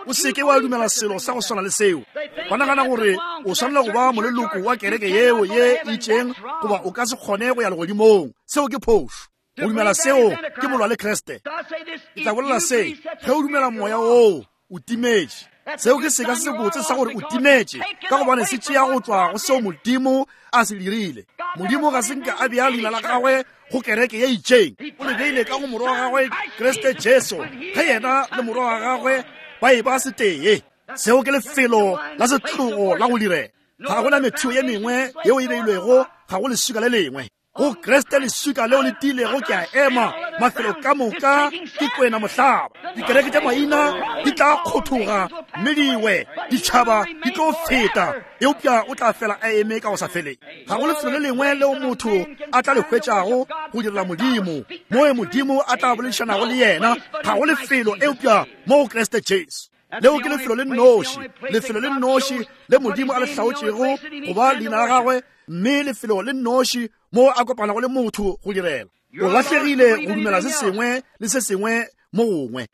O seke wa dumela selo sa go swana le seo. Ba nagana gore o swanela go ba moleloko wa kereke yeo ye itšeng goba o ka se kgone go ya legodimong. Seo ke phošo. Go dumela seo ke molwa le Kriste. Ke tla bolela se, ge o dumela moya woo, o timetše. Seo ke seka se sebotse sa gore o timetše, ka gobane se tšea go tšwa go seo Modimo a se dirile. Modimo ga se nke a bea leina la gagwe go kereke ye itšeng. O le beile ka go morwa wa gagwe Kriste Jesu, ge yena le morwa wa gagwe ba e ba setee. Seo ke lefelo la setlogo la go direla. Ga gona metheo ye mengwe yeo e beilwego, ga go leswika le lengwe. Go Kriste leswika leo le tiilego ke a ema, mafelo ka moka ke kwena mohlaba. Dikereke tša maina di tla kgothoga mme diwe, ditšhaba di tlo feta, eupša o tla fela a eme ka go sa feleng. Ga go lefelo le lengwe leo motho a tla le hwetšago go direla Modimo, moe Modimo a tla boledišanago le yena. Ga go lefelo eupša mo go Kriste Jesu. Leo ke lefelo le nnoši, lefelo le nnoši le Modimo a le hlaotšego go ba leina la gagwe, mme lefelo le nnoši mo a kopanago le motho go direla. O lahlegile go dumela se sengwe le se sengwe mo gongwe.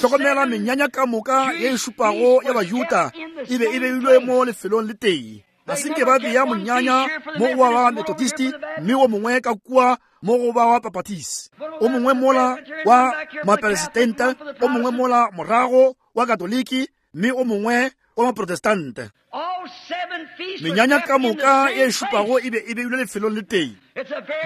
Hlokomela menyanya ka moka ye e šupago ya Bajuda e be e beilwe mo lefelong le tee. Ga se nke ba bea monyanya mo go wa ba Methodist mme wo mongwe ka kua mo go ba wa Baptist, o mongwe mola wa Maperesitente, o mongwe mola morago wa Katoliki, mme o mongwe wa Maprotestante. Menyanya ka moka ye šupago e be e beilwe lefelong le tee.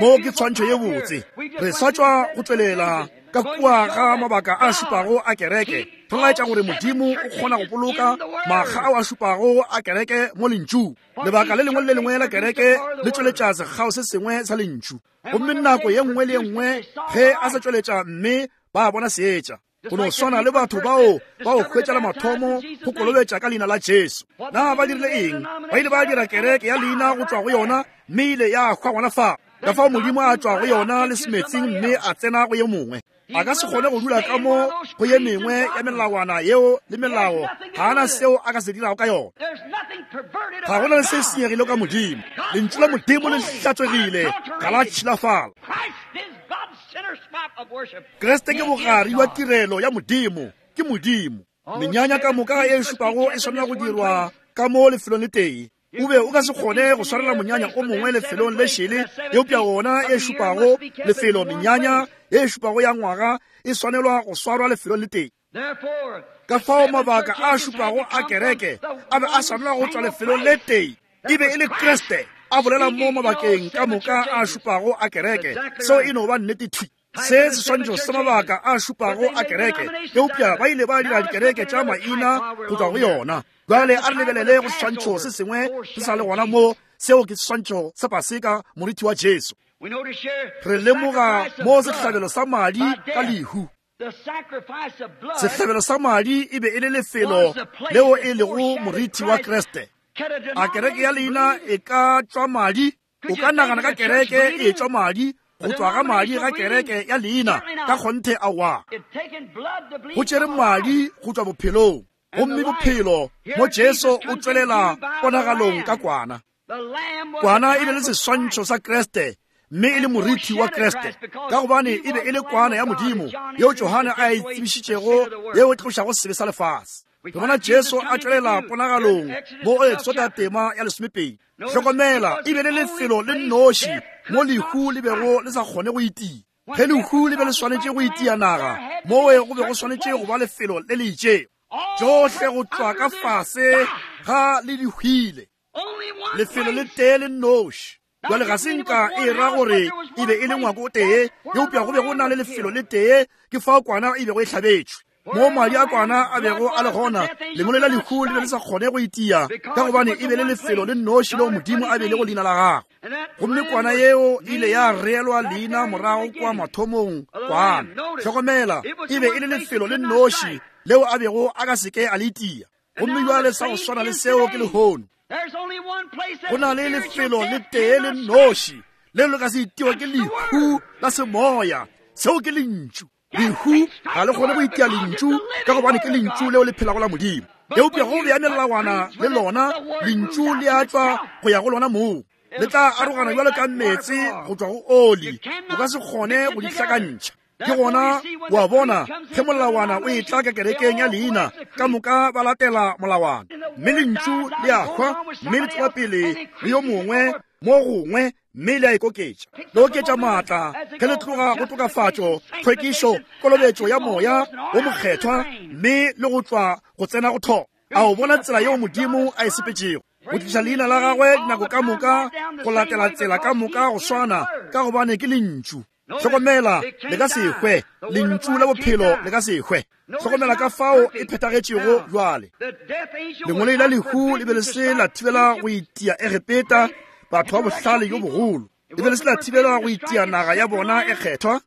Mo ke tshwantšho ye botse. Re sa tšwa go tswelela ka kua ga mabaka a šupago a kereke, re laetša gore Modimo o kgona go boloka makga ao a šupago a kereke mo lentšu. Lebaka le lengwe le le lengwe la kereke le tšweletša sekgao se sengwe sa lentšu, gomme nako ye nngwe le ye nngwe ge a sa tšweletša mme ba bona seetša. Go no swana le batho bao ba o hwetša la mathomo go kolobetša ka leina la Jesu. Na ba dirile eng? Ba ile ba dira kereke ya leina go tšwa go yona, mme ile ya hwa gona fa. Ka fao Modimo a tšwa go yona le semetsing mme a tsena go ye mongwe. A ka se kgone go dula ka mo go ye mengwe ya melawana yeo le melao, ga ana seo a ka se dirago ka yona. Ga go na le se senyegile ka Modimo. Lentšu la Modimo le hlatswegile, ga la tšhilafala. Kriste ke bogare wa tirelo ya Modimo, ke Modimo. Menyanya ka moka e šupago e swanela go dirwa ka mo lefelong le tee. O be o ka se kgone go swarela monyanya o mongwe lefelong le šele, eupša wona e šupago lefelo. Menyanya e šupago ya ngwaga e swanelwa go swarwa lefelong le tee. Ka fao mabaka a šupago a kereke a be a swanelwa go tšwa lefelong le tee. E be e le Kriste a bolela mo mabakeng ka moka a šupago a kereke. Seo e no ba nnete thwi. Se seswantšho sa mabaka a šupago a kereke, eupša ba ile ba dira dikereke tša maina go tšwa go yona. Bjale a re lebelele go seswantšho se sengwe se sa le gona mo, seo ke seswantšho sa Paseka, moriti wa Jesu. Re lemoga mo sehlabelo sa madi ka lehu. Sehlabelo sa madi e be e le lefelo leo e lego moriti wa Kriste. A kereke ya leina e ka tšwa madi? O ka nagana ka kereke e tšwa madi, go tšwa ga madi ga kereke ya leina? Ka kgonthe aowa. Go tšere madi go tšwa bophelong, gomme bophelo mo Jesu o tšwelela ponagalong ka kwana. Kwana e be le seswantšho sa Kriste, mme e le moriti wa Kriste, ka gobane e be e le kwana ya Modimo yeo Johane a e tsebišitšego, yeo e tlošago sebe sa lefase. Re bona Jesu a tšwelela ponagalong mo o Exoda tema ya lesomepedi. Hlokomela, e be le lefelo le nnoši mo lehu le bego le sa kgone go itia. Ge lehu le be le swanetše go itia naga, mowe go be go swanetše go ba lefelo le le itšego. Tšohle go tšwa ka fase ga le di hwile. Lefelo le tee le nnoši. Jwale ga se nka e ra gore e be e le ngwako o tee, eupša go be go na le lefelo le tee, ke fao kwana e bego e hlabetšwe. Mo madi a kwana a bego a le gona, lengolo la lehu le be le sa kgone go itia, ka gobane e be le lefelo le nnoši leo Modimo a beilego leina la gagwe. Gomme kwana yeo ile ya reelwa leina morago kwa mathomong kwana. Hlokomela, e be e le lefelo le nnoši leo a bego a ka seke a le itia. Gomme jwale sa go swana le seo ke lehono. Go na le lefelo le tee le nnoši leo le ka se itiwa ke lehu la semoya. Seo ke lentšu. Lehu ga le kgone go itia lentšu, ka gobane ke lentšu leo le phelago la Modimo. Eupša go bea melawana le lona, lentšu le a tšwa go ya go lona moo. Le tla arogana bjalo ka meetse go tšwa go oli, o ka se kgone go di hlakantšha. Ke gona wa bona ge molawana o etla ka kerekeng ya leina, ka moka ba latela molawana, mme lentšu le a hwa, mme le tšwela pele le yo mongwe mo gongwe, mme le a ikoketša. Le oketša maatla ge le tloga go tokafatšo, tlhwekišo, kolobetšo ya moya wo mokgethwa, mme le go tšwa go tsena go thoma. A o bona tsela yeo Modimo a e sepetšego go tliša leina la gagwe dinako ka moka, go latela tsela ka moka go swana, ka gobane ke lentšu. Hlokomela, le ka se hwe. Lentšu la bophelo le ka se hwe. Hlokomela ka fao e phethagetšego jwale. Lengolo la lehu le be le se la thibela go itia Egepeta, batho ba bohlale yo bogolo. Le be le se la thibela go itia naga ya bona e kgethwa,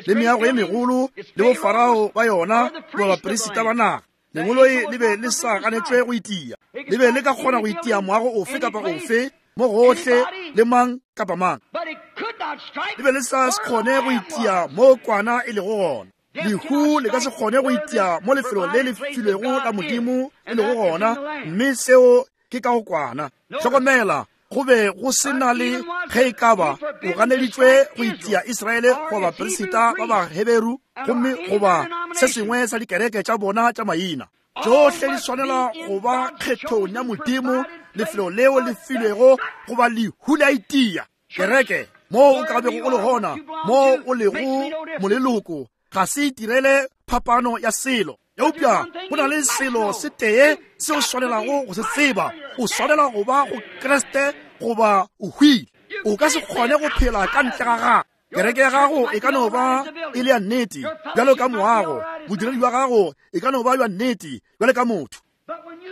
le meago ye megolo, le bofarao ba yona, goba baperisita ba naga. Lengolo le be le sa ganetšwe go itia. Le be le ka kgona go itia moago ofe kapa ofe, mo gohle le mang kapa mang. Le be le sa kgone go itia mo kwana e lego gona. Lehu le ka se kgone go itia mo lefelong le le filwego la Modimo e lego gona, mme seo ke ka go kwana. Hlokomela, go be go se na le ge e ka ba o ganeditšwe go itia Israele goba baperisita ba Baheberu, gomme goba se sengwe sa dikereke tša bona tša maina. Tšohle di swanela go ba kgethong ya Modimo, lefelo leo le filwego goba lehu le a itia. Kereke Moo o ka bego o le gona, moo o lego moleloko, ga se itirele phapano ya selo. Eupša go na le selo se tee se o swanelago go se tseba. O swanela go ba go Kriste goba o hwile. O ka se kgone go phela ka ntle ga gagwe. Kereke ya gago e ka no ba e le ya nnete bjalo ka moago, bodiredi bja gago e ka no ba bja nnete bjalo ka motho.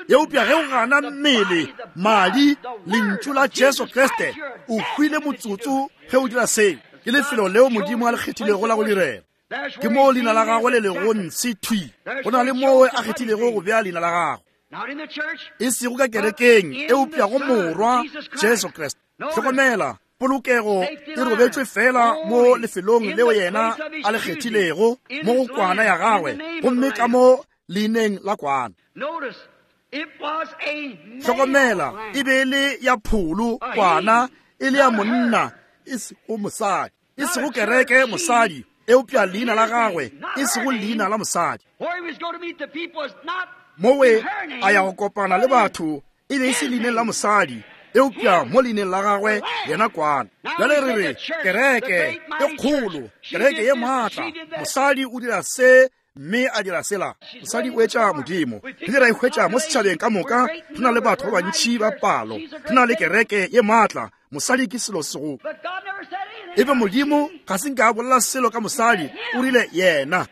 Eupša ge o gana mmele, madi, lentšu la Jesu Kriste, o hwile motsotso ge o dira seo. Ke lefelo leo Modimo a le kgethilego la go direla. Ke moo leina la gagwe le lego ntshe thwi. Go na le moo a kgethilego go bea leina la gagwe. E sego ka kerekeng, eupša go Morwa Jesu Kriste. Hlokomela, polokego e robetšwe fela mo lefelong leo yena a le kgethilego, mo go kwana ya gagwe, gomme ka mo leineng la kwana. Hlokomela, e be e le ya pholo kwana, e le ya monna, e sego mosadi. E sego kereke mosadi, eupša leina la gagwe, e sego leina la mosadi. Mowe a ya go kopana le batho, e be e se leineng la mosadi, eupša mo leineng la gagwe yena kwana. Bjale re re kereke e kgolo, kereke ye maatla, mosadi o dira se mme a dira sela. Mosadi o etša Modimo. Re ra e hwetša mo setšhabeng ka moka. Re na le batho ba bantši ba palo, re na le kereke ye maatla. Mosadi ke selo sego. Ebe Modimo ga se nka a bolela selo ka mosadi, o rile yena.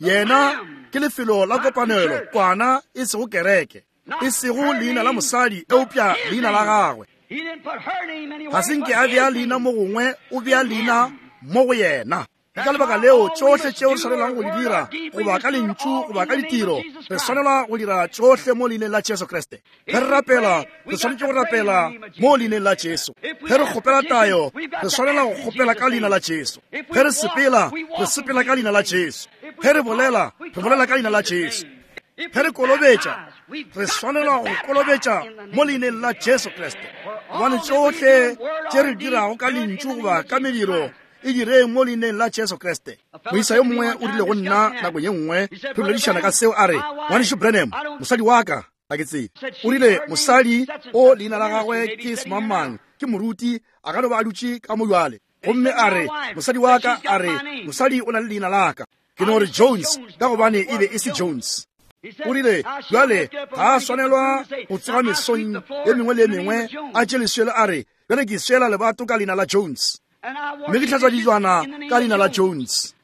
Yena ke lefelo la kopanelo, kwana e sego kereke, e sego leina la mosadi, eupša leina la gagwe. Ga se nke a bea leina mo gongwe, o bea leina mo go yena. Ka lebaka leo tšohle tšeo re swanelago go di dira, goba ka lentšu goba ka ditiro, re swanela go dira tšohle mo leineng la Jesu Kriste. Ge re rapela, re swanetše go rapela mo leineng la Jesu. Ge re kgopela tayo, re swanela go kgopela ka leina la Jesu. Ge re sepela, re sepela ka leina la Jesu. Ge re bolela, re bolela ka leina la Jesu. Ge re kolobetša, re swanela go kolobetša mo leineng la Jesu Kriste. Gobane tšohle tše re dirago ka lentšu goba ka mediro, e direng mo leineng la Jesu Kriste. Moisa yo mongwe o rile go nna nako ye nngwe, re boledišana ka seo, a re, Ngwanešu Branham, mosadi wa ka ga ke tsebe. O rile mosadi o leina la gagwe ke semangmang, ke moruti, a ka no ba a dutše ka mo bjale. Gomme a re, mosadi wa ka, a re, mosadi o na le leina la ka. Ke no re Jones, ka gobane e be e se Jones. O rile, bjale ga a swanelwa go tsoga mesong ye mengwe le ye mengwe a tše leswele a re, bjale ke swela lebato ka leina la Jones, mme ke hlatswa dijwana ka leina la Jones,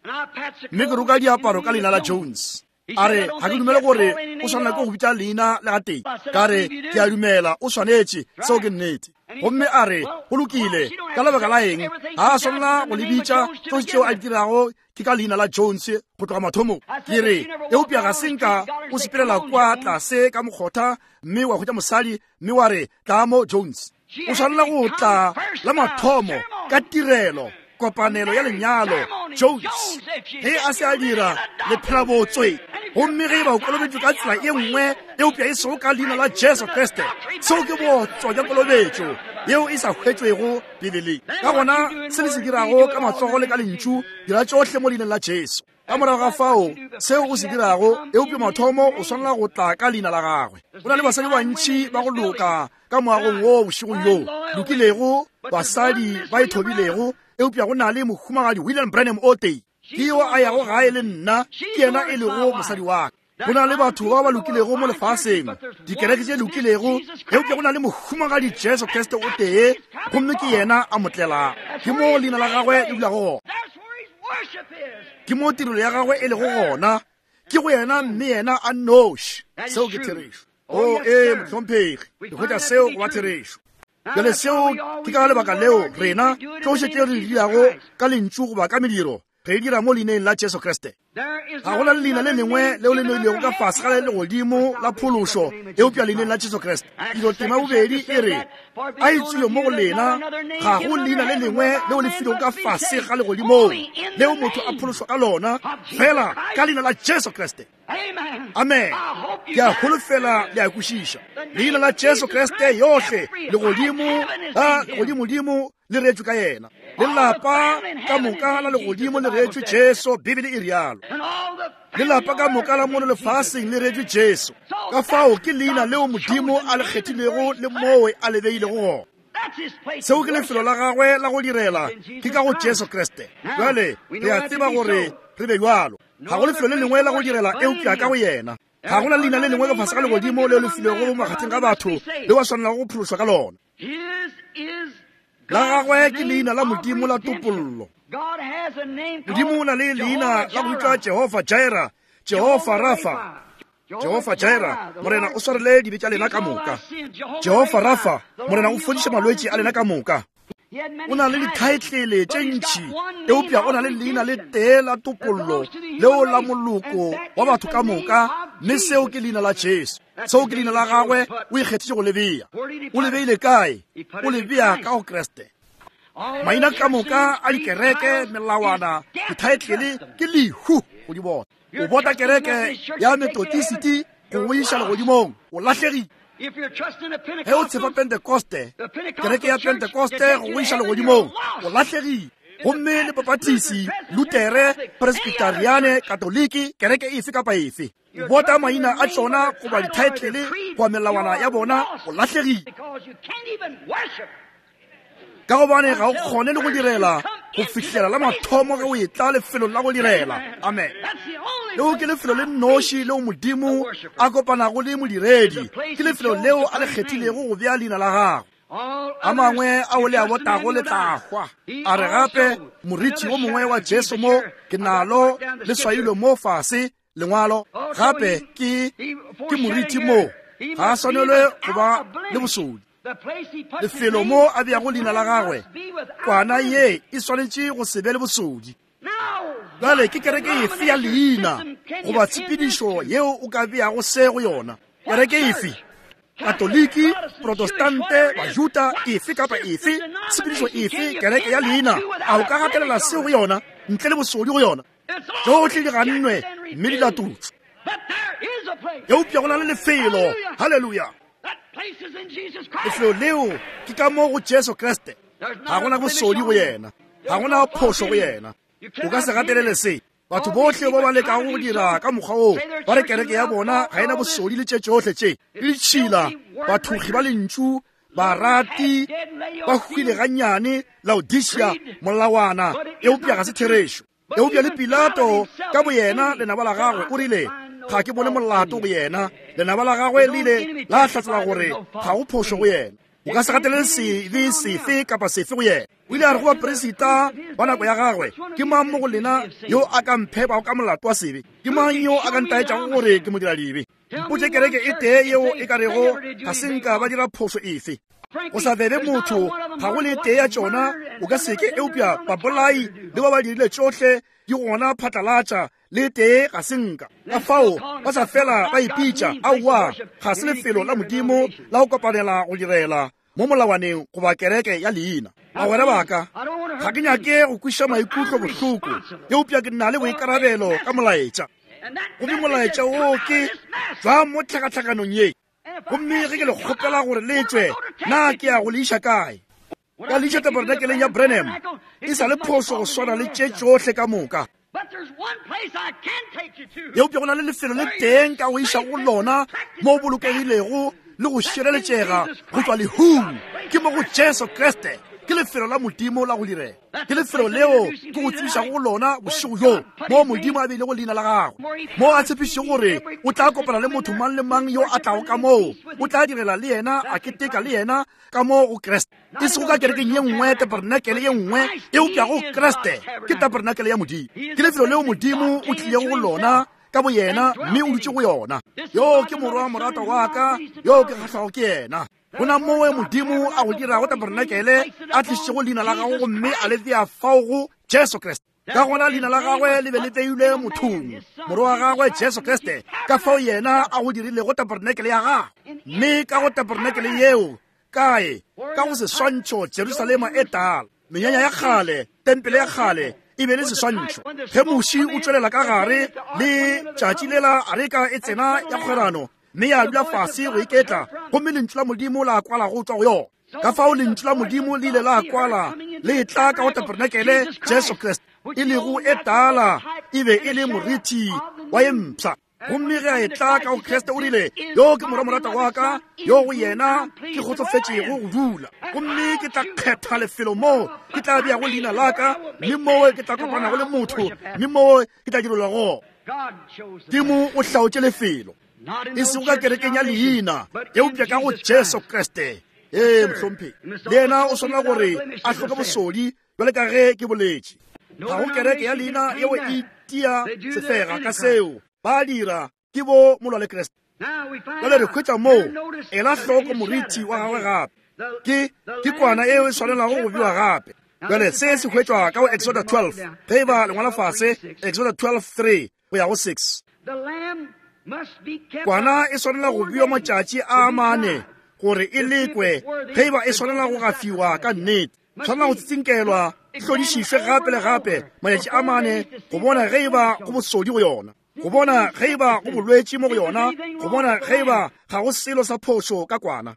mme ke roka diaparo ka leina la Jones. A re, ga ke dumele gore o swanela ke go bitša leina le gatee. Ka re, ke a dumela o swanetše, seo ke nnete. Gomme a re, go lokile, ka lebaka la eng ga a swanela go le bitša tsohle tšeo a di dirago ke ka leina la Jones go tloga mathomong. Ke re, eupša ga se nka o sepelela kwa tlase ka mokgotha mme wa hwetša mosadi mme wa re, tla mo Jones. O swanela go tla la mathomo ka tirelo, kopanelo ya lenyalo, Jones. Ge a se a dira, le phela botswe. Gomme ge e ba o kolobetšwe ka tsela e nngwe, eupša e sego ka leina la Jesu Kriste, seo ke botswa bja kolobetšo yeo e sa hwetšwego Bibeleng. Ka gona se le se dirago ka matsogo le ka lentšu, dira tšohle mo leineng la Jesu. Ka morago ga fao, seo o se dirago, eupša mathomo o swanela go tla ka leina la gagwe. Go na le basadi ba bantši ba go loka ka moagong wo bošegong bjo, lokilego, basadi ba ithobilego, eupša go na le mohumagadi William Branham o tee. Ke yo a yago gae le nna, ke yena e lego mosadi wa ka. Go na le batho ba ba lokilego mo lefaseng, dikereke tše lokilego, eupša go na le mohumagadi Jesu Kriste o tee, gomme ke yena a mo tlelang. Ke mo leina la gagwe le dulago gona, ke mo tirelo ya gagwe e lego gona, ke go yena mme yena a nnoši. Seo ke therešo. O ee, mohlomphegi, ke hwetša seo go ba therešo. Bjale seo ke ka lebaka leo rena tšohle tše re di dirago ka lentšu goba ka mediro, re dira mo leineng la Jesu Kriste. Ga go na le leina le lengwe leo le neilwego ka fase ga legodimo la phološo eupša leineng la Jesu Kriste. Dilo tema bobedi e re, a e tswile mo go lena, ga go leina le lengwe leo le filwego ka fase ga legodimong leo motho a phološwa ka lona, fela ka leina la Jesu Kriste. Amen. Ke a holofela le a kwešiša. Leina la Jesu Kriste yohle legodimo la legodimodimo le reetšwe ka yena, lelapa ka moka la legodimo le reetšwe Jesu, Bibele e rialo. Lelapa ka moka la mono lefaseng le reetšwe Jesu. Ka fao ke leina leo Modimo a le kgethilego le mowe a le beilego gona. Seo ke lefelo la gagwe la go direla, ke ka go Jesu Kriste. Bjale re a tseba gore re be bjalo. Ga go lefelo le lengwe la go direla eupša ka go yena. Ga gona leina le lengwe ka fase ga legodimo leo le filwego makgatheng ga batho le wa swanelago go phološwa ka lona. La gagwe ke leina la Modimo la topollo. Modimo o na le leina la go bitšwa Jehofa Jireh, Jehofa Rafa. Jehofa Jireh, Morena o swarele dibe tša lena ka moka. Jehofa Rafa, Morena o fodiša malwetši a lena ka moka. O na le dithaetlele tše ntši, eupša o na le leina le tee la topollo leo la moloko wa batho ka moka, mme seo ke leina la Jesu. Seo ke leina la gagwe, o ikgethile go le bea. O le beile kae? O le bea ka go Kriste. Maina ka moka a dikereke, melawana, dithaetlele ke lehu go di bona. O bota kereke ya Methodist go go iša legodimong, o lahlegile. Ge o tshepa Pentecoste, kereke ya Pentecoste go go iša legodimong, o lahlegile. Gomme le Baptist, Lutere, Presbyteriane, Katoliki, kereke efe kapa efe, o bota maina a tšona goba dithaetlele goba melawana ya bona, o lahlegile. Ka gobane ga o kgone le go direla go fihlela la mathomo ge o etla lefelong la go direla. Amen. Leo ke lefelo le nnoši leo Modimo a kopanago le modiredi. Ke lefelo leo a le kgethilego go bea leina la gagwe. A mangwe ao le a botago le tla hwa. A re gape moriti o mongwe wa Jesu mo ke nalo le swailwe mo fase lengwalo. Gape ke ke moriti mo, ga a swanelwe go ba le bosodi. Lefelo mo a beago leina la gagwe, kwana ye e swanetše go se be le bosodi. Bjale ke kereke efe ya leina goba tshepedišo yeo o ka beago se go yona? Kereke efe? Katoliki, Protestante, Bajuta, efe kapa efe, tshepedišo efe, kereke ya leina, a o ka gatelela se go yona ntle le bosodi go yona? Tšohle di gannwe mme di latotšwe. Eupša go na le lefelo. Haleluya. Lefelo leo ke ka mo go Jesu Kriste. Ga gona bosodi go yena, ga gona phošo go yena. O ka se gatelele se. Batho bohle ba ba lekago go dira ka mokgwa woo, ba re kereke ya bona ga ena bosodi le tše tšohle tše, le ditšhila, bathogi ba lentšu, barati, ba hwile gannyane, Laodicea, molawana, eupša ga se therešo. Eupša le Pilato ka boyena lenaba la gagwe o rile, ga ke bone molato go yena. Lenaba la gagwe le ile la hlatsela gore ga go phošo go yena. O ka se gatelele sebe sefe kapa sefe go yena. O ile a re go baperesita ba nako ya gagwe, ke mang mo go lena yo a ka mphepago ka molato wa sebe? Ke mang yo a ka ntaetšago gore ke modiradibe? Mpotše kereke e tee yeo e ka rego ga se nka ba dira phošo efe. Go sa bebe motho, ga go le tee ya tšona o ka seke, eupša babolai le ba ba dirile tšohle di gona phatlalatša, le tee ga se nka. Ka fao ba sa fela ba ipitša, aowa, ga se lefelo la Modimo la go kopanela go direla mo molawaneng goba kereke ya leina. Bagwera ba ka, ga ke nyake go kweša maikutlo bohloko, eupša ke na le boikarabelo ka molaetša. Gomme molaetša wo ke jwa mo tlhakatlhakanong ye. Gomme ge ke le kgopela gore le tšwe, na ke ya go le iša kae? Ka le iša tabernakeleng ya Branham, e sa le phošo go swana le tše tšohle ka moka. Eupša go na le lefelo le teng ka go iša go lona mo o bolokegilego le go šireletšega go tšwa lehung, ke mo go Jesu Kriste. Ke lefelo la Modimo la go direla. Ke lefelo leo ke go tsebišago go lona bošego bjo, mo Modimo a beilego leina la gagwe, mo a tshepišitšego gore o tla kopana le motho mang le mang yo a tlago ka moo, o tla direla le yena, a keteka le yena ka mo go Kriste. E sego ka kerekeng ye nngwe, tabernakele ye nngwe, eupša go Kriste. Ke tabernakele ya Modimo. Ke lefelo leo Modimo o tlilego go lona ka boyena, mme o dutše go yona. Yo ke morwa moratwa wa ka, yo ke kgahlwago ke yena. Gona mowe Modimo a go dirago tabernakele, a tlišitšego leina la gago gomme a le bea fao go Jesu Kriste. Ka gona leina la gagwe le be le beilwe mothong, morwa wa gagwe Jesu Kriste, ka fao yena a go dirilego tabernakele ya gagwe. Mme ka go tabernakele yeo, kae? Ka go seswantšho Jerusalema e tala, menyanya ya kgale, tempele ya kgale e be le seswantšho. Ge moši o tšwelela ka gare le tšatši lela areka e tsena ya kgwerano, mme ya dula fase go iketla, gomme lentšu la Modimo la kwala go tšwa go yona. Ka fao lentšu la Modimo le ile la kwala le tla ka go tabernakele Jesu Kriste, e lego e tala, e be e le moriti wa ye mpsha. Gomme ge a etla ka go Kriste o rile, yo ke morwa morata wa ka, yo go yena ke kgotsofetšego go dula. Gomme ke tla kgetha lefelo moo ke tla beago leina la ka, mme moo ke tla kopanago le motho, mme moo ke tla direlwa gona. Modimo o hlaotše lefelo, e sego ka kerekeng ya leina, eupša ka go Jesu Kriste. Ee, mohlomphegi, le yena o swanela gore a hloke bosodi bjale ka ge ke boletše. Ga go kereke ya leina yeo e tia sefega ka seo. Ba dira ke bo molwa le Kriste. Bjale re hwetša moo, ela hloko moriti wa gagwe gape. Ke ke kwana eo e swanelago go bewa gape. Bjale se se hwetšwa ka go Exoda twelve, ge e ba lengwala fase, Exoda twelve three go ya go six. Kwana e swanela go bewa matšatši a mane gore e lekwe ge e ba e swanela go gafiwa ka nnete. Tshwanela go tsitsinkelwa, e hlodišišwe gape le gape matšatši a mane go bona ge e ba go bosodi go yona, go bona ge e ba go bolwetši mo go yona, go bona ge e ba ga go selo sa phošo ka kwana.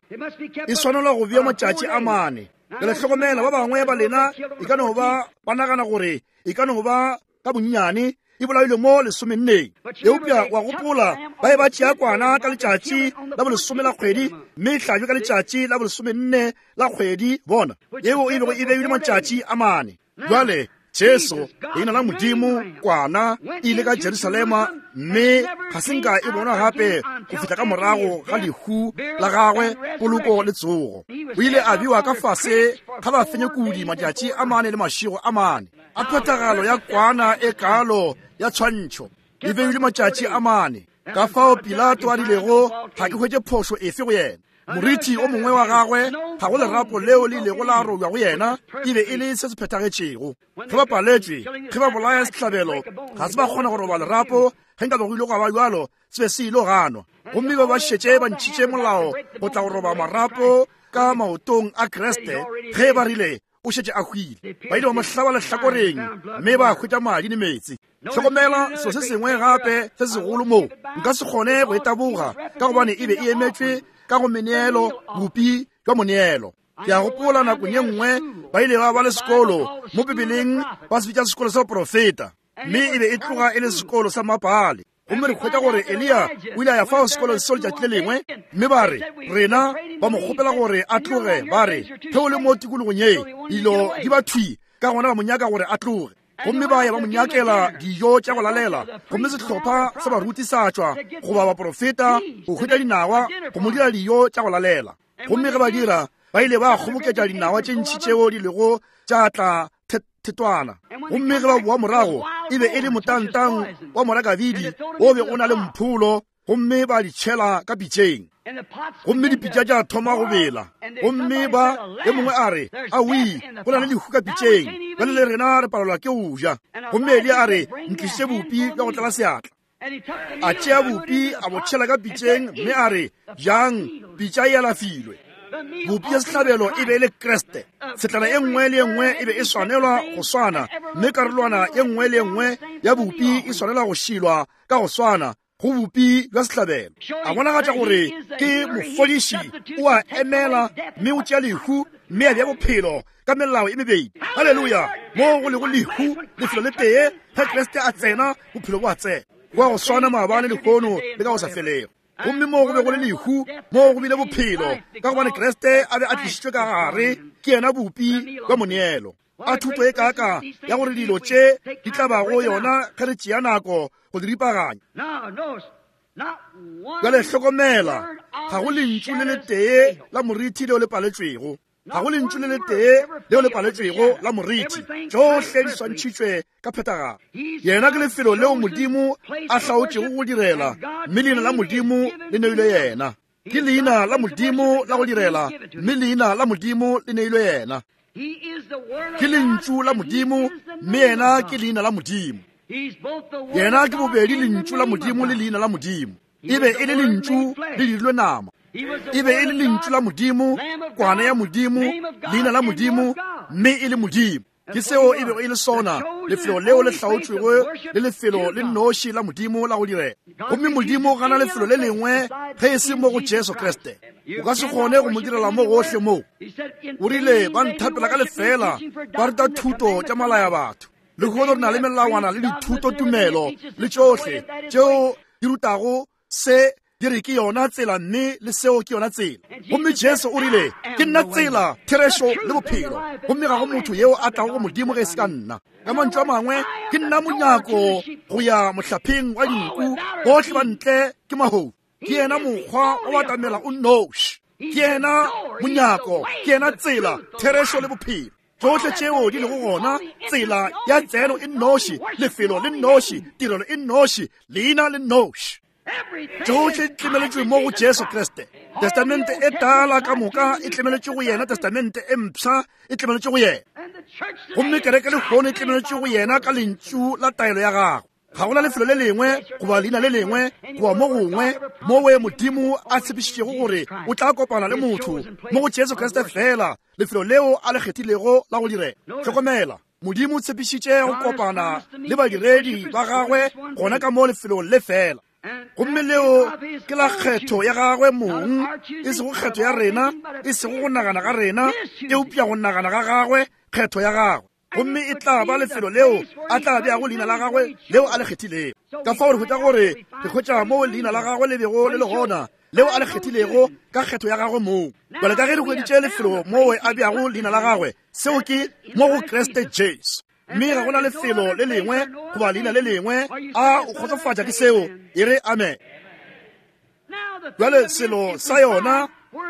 E swanelwa go bewa matšatši a mane. Bjale hlokomela, ba bangwe ba lena e ka no ba ba nagana gore e ka no ba ka bonnyane e bolailwe mo lesomenneng, eupša wa gopola ba e ba tšea kwana ka letšatši la bolesome la kgwedi, mme e hlajwe ka letšatši la bolesomenne la kgwedi, bona yeo e bego e beilwe matšatši a mane. Bjale Jesu, leina la Modimo, kwana, e ile ka Jerusalema, mme ga se nka e bonwa gape go fihla ka morago ga lehu la gagwe, poloko le tsogo. O ile a bewa ka fase ga bafenyekudi matšatši a mane le mašego a mane. A phethagalo ya kwana e kalo ya tshwantšho e beilwe matšatši a mane. Ka fao Pilato a rilego, ga ke hwetše phošo efe go yena. Moriti o mongwe wa gagwe, ga go lerapo leo le ilego la robja go yena, e be e le se se phethagetšego. Ge ba paletšwe, ge ba bolaya sehlabelo, ga se ba kgona go roba lerapo, ge nka be go ile gwa ba bjalo, se be se ile ganwa. Gomme ba ba šetše ba ntšhitše molao go tla go roba marapo ka maotong a Kriste, ge ba rile o šetše a hwile. Ba ile ba mo hlaba lehlakoreng, mme ba hwetša madi le meetse. Hlokomela selo se sengwe gape se segolo moo nka se kgone go e taboga, ka gobane e be e emetšwe ka go meneelo, bopi jwa moneelo. Ke a gopola nakong ye nngwe ba ile ba ba le sekolo mo Bibeleng, ba se bitša sekolo sa baprofeta, mme e be e tloga e le sekolo sa mapale. Gomme re hwetša gore Eliya o ile a ya fao sekolong seo letšatši le lengwe, mme ba re rena ba mo kgopela gore a tloge, ba re ge o le mo tikologong ye dilo di ba thwi, ka gona ba mo nyaka gore a tloge. Gomme ba ya ba mo nyakela dijo tša go lalela, gomme sehlopha sa baruti sa tšwa goba baprofeta go hwetša dinawa go mo dira dijo tša go lalela. Gomme ge ba dira, ba ile ba kgoboketša dinawa tše ntši tšeo di lego tša tla thetwana. Gomme ge ba boa morago, e be e le motantang wa morakabidi o be o na le mpholo, gomme ba di tšhela ka pitšeng. Gomme dipitša tša thoma go bela. Gomme ba e mongwe a re, aoi, go na le lehu ka pitšeng, bjale le rena re palelwa ke go ja. Gomme Eliya a re, ntlišitše bopi bja go tlala seatla. A tšea bopi a bo tšhela ka pitšeng, mme a re, jang, pitša e alafilwe. Bopi ya sehlabelo e be e le Kriste. Setlana e nngwe le e nngwe e be e swanelwa go swana, mme karolwana e nngwe le e nngwe ya bopi e swanelwa go šilwa ka go swana go bopi bja sehlabelo. A bonagatša gore ke mofodiši, o a emela mme o tšea lehu mme a bea bophelo ka melao e mebedi. Haleluya! Mo go lego lehu lefelo le tee, ge Kriste a tsena, bophelo bo a tsena. Go a go swana maabane, lehono le ka go sa felego. Gomme mo go be go le lehu, mo go bile bophelo, ka gobane Kriste a be a tlišitšwe ka gare, ke yena bopi bja moneelo. A thuto e kaka ya gore dilo tše di tla bago yona ge re tšea nako go di ripaganya. Bjale hlokomela, ga go lentšu le letee la moriti leo le paletšwego. Ga go lentšu le letee leo le paletšwego la moriti. Tšohle di swantšhitšwe ka phethagalo. Yena ke lefelo leo Modimo a hlaotšego go direla, mme leina la Modimo le neilwe yena. Ke leina la Modimo la go direla, mme leina la Modimo le neilwe yena. Ke lentšu la Modimo, mme yena ke leina la Modimo. Yena ke bobedi lentšu la Modimo le leina la Modimo. E be e le lentšu le dirilwe nama. E be e le lentšu la Modimo, kwana ya Modimo, leina la Modimo, mme e le Modimo. Ke seo e bego e le sona, lefelo leo le hlaotšwego le lefelo le nnoši la Modimo la go direla. Gomme Modimo gana lefelo le lengwe ge e se mo go Jesu Kriste. O ka se kgone go mo direla mo gohle mo. O rile ba nthapela ka lefela, ba ruta thuto tša malaya batho. Lehono re na le melawana le dithuto tumelo le tšohle tšeo di rutago se di re ke yona tsela mme le seo ke yona tsela. Gomme Jesu o rile, ke nna tsela, therešo le bophelo, gomme ga go motho yeo a tlago go Modimo ge e se ka nna. Ka mantšu a mangwe, ke nna monyako go ya mohlapheng wa dinku, bohle ba ntle ke mahodu. Ke yena mokgwa wa batamela o nnoši. Ke yena monyako, ke yena tsela, therešo le bophelo. Tsohle tšeo di lego gona, tsela ya tseno e nnoši, lefelo le nnoši, tirelo e nnoši, leina le nnoši. Tsohle di tlemeletšwe mo go Jesu Kriste. Testamente e tala ka moka e tlemeletšwe go yena, testamente e mpsha e tlemeletšwe go yena. Gomme kereke lehono e tlemeletšwe go yena ka lentšu la taelo ya gagwe. Ga gona lefelo le lengwe goba leina le lengwe goba mo gongwe mowe Modimo a tshepišitšego gore o tla kopana le motho mo go Jesu Kriste fela, lefelo leo a le kgethilego la go direla. Hlokomela, Modimo o tshepišitše go kopana le badiredi ba gagwe gona ka mo lefelong le fela. Gomme leo ke la kgetho ya gagwe mong, e sego kgetho ya rena, e sego go nagana ga rena, eupša go nagana ga gagwe, kgetho ya gagwe. Gomme e tla ba lefelo leo a tla beago leina la gagwe leo a le kgethilego. Ka fao re hwetša gore re hwetša moo leina la gagwe le bego le le gona, leo a le kgethilego ka kgetho ya gagwe mong. Bjale ka ge re hweditše lefelo moo a beago leina la gagwe, seo ke mo go Kriste Jesu. Mme ga gona lefelo le lengwe goba leina le lengwe a o kgotsofatša ke seo, e re amen. Bjale selo sa yona,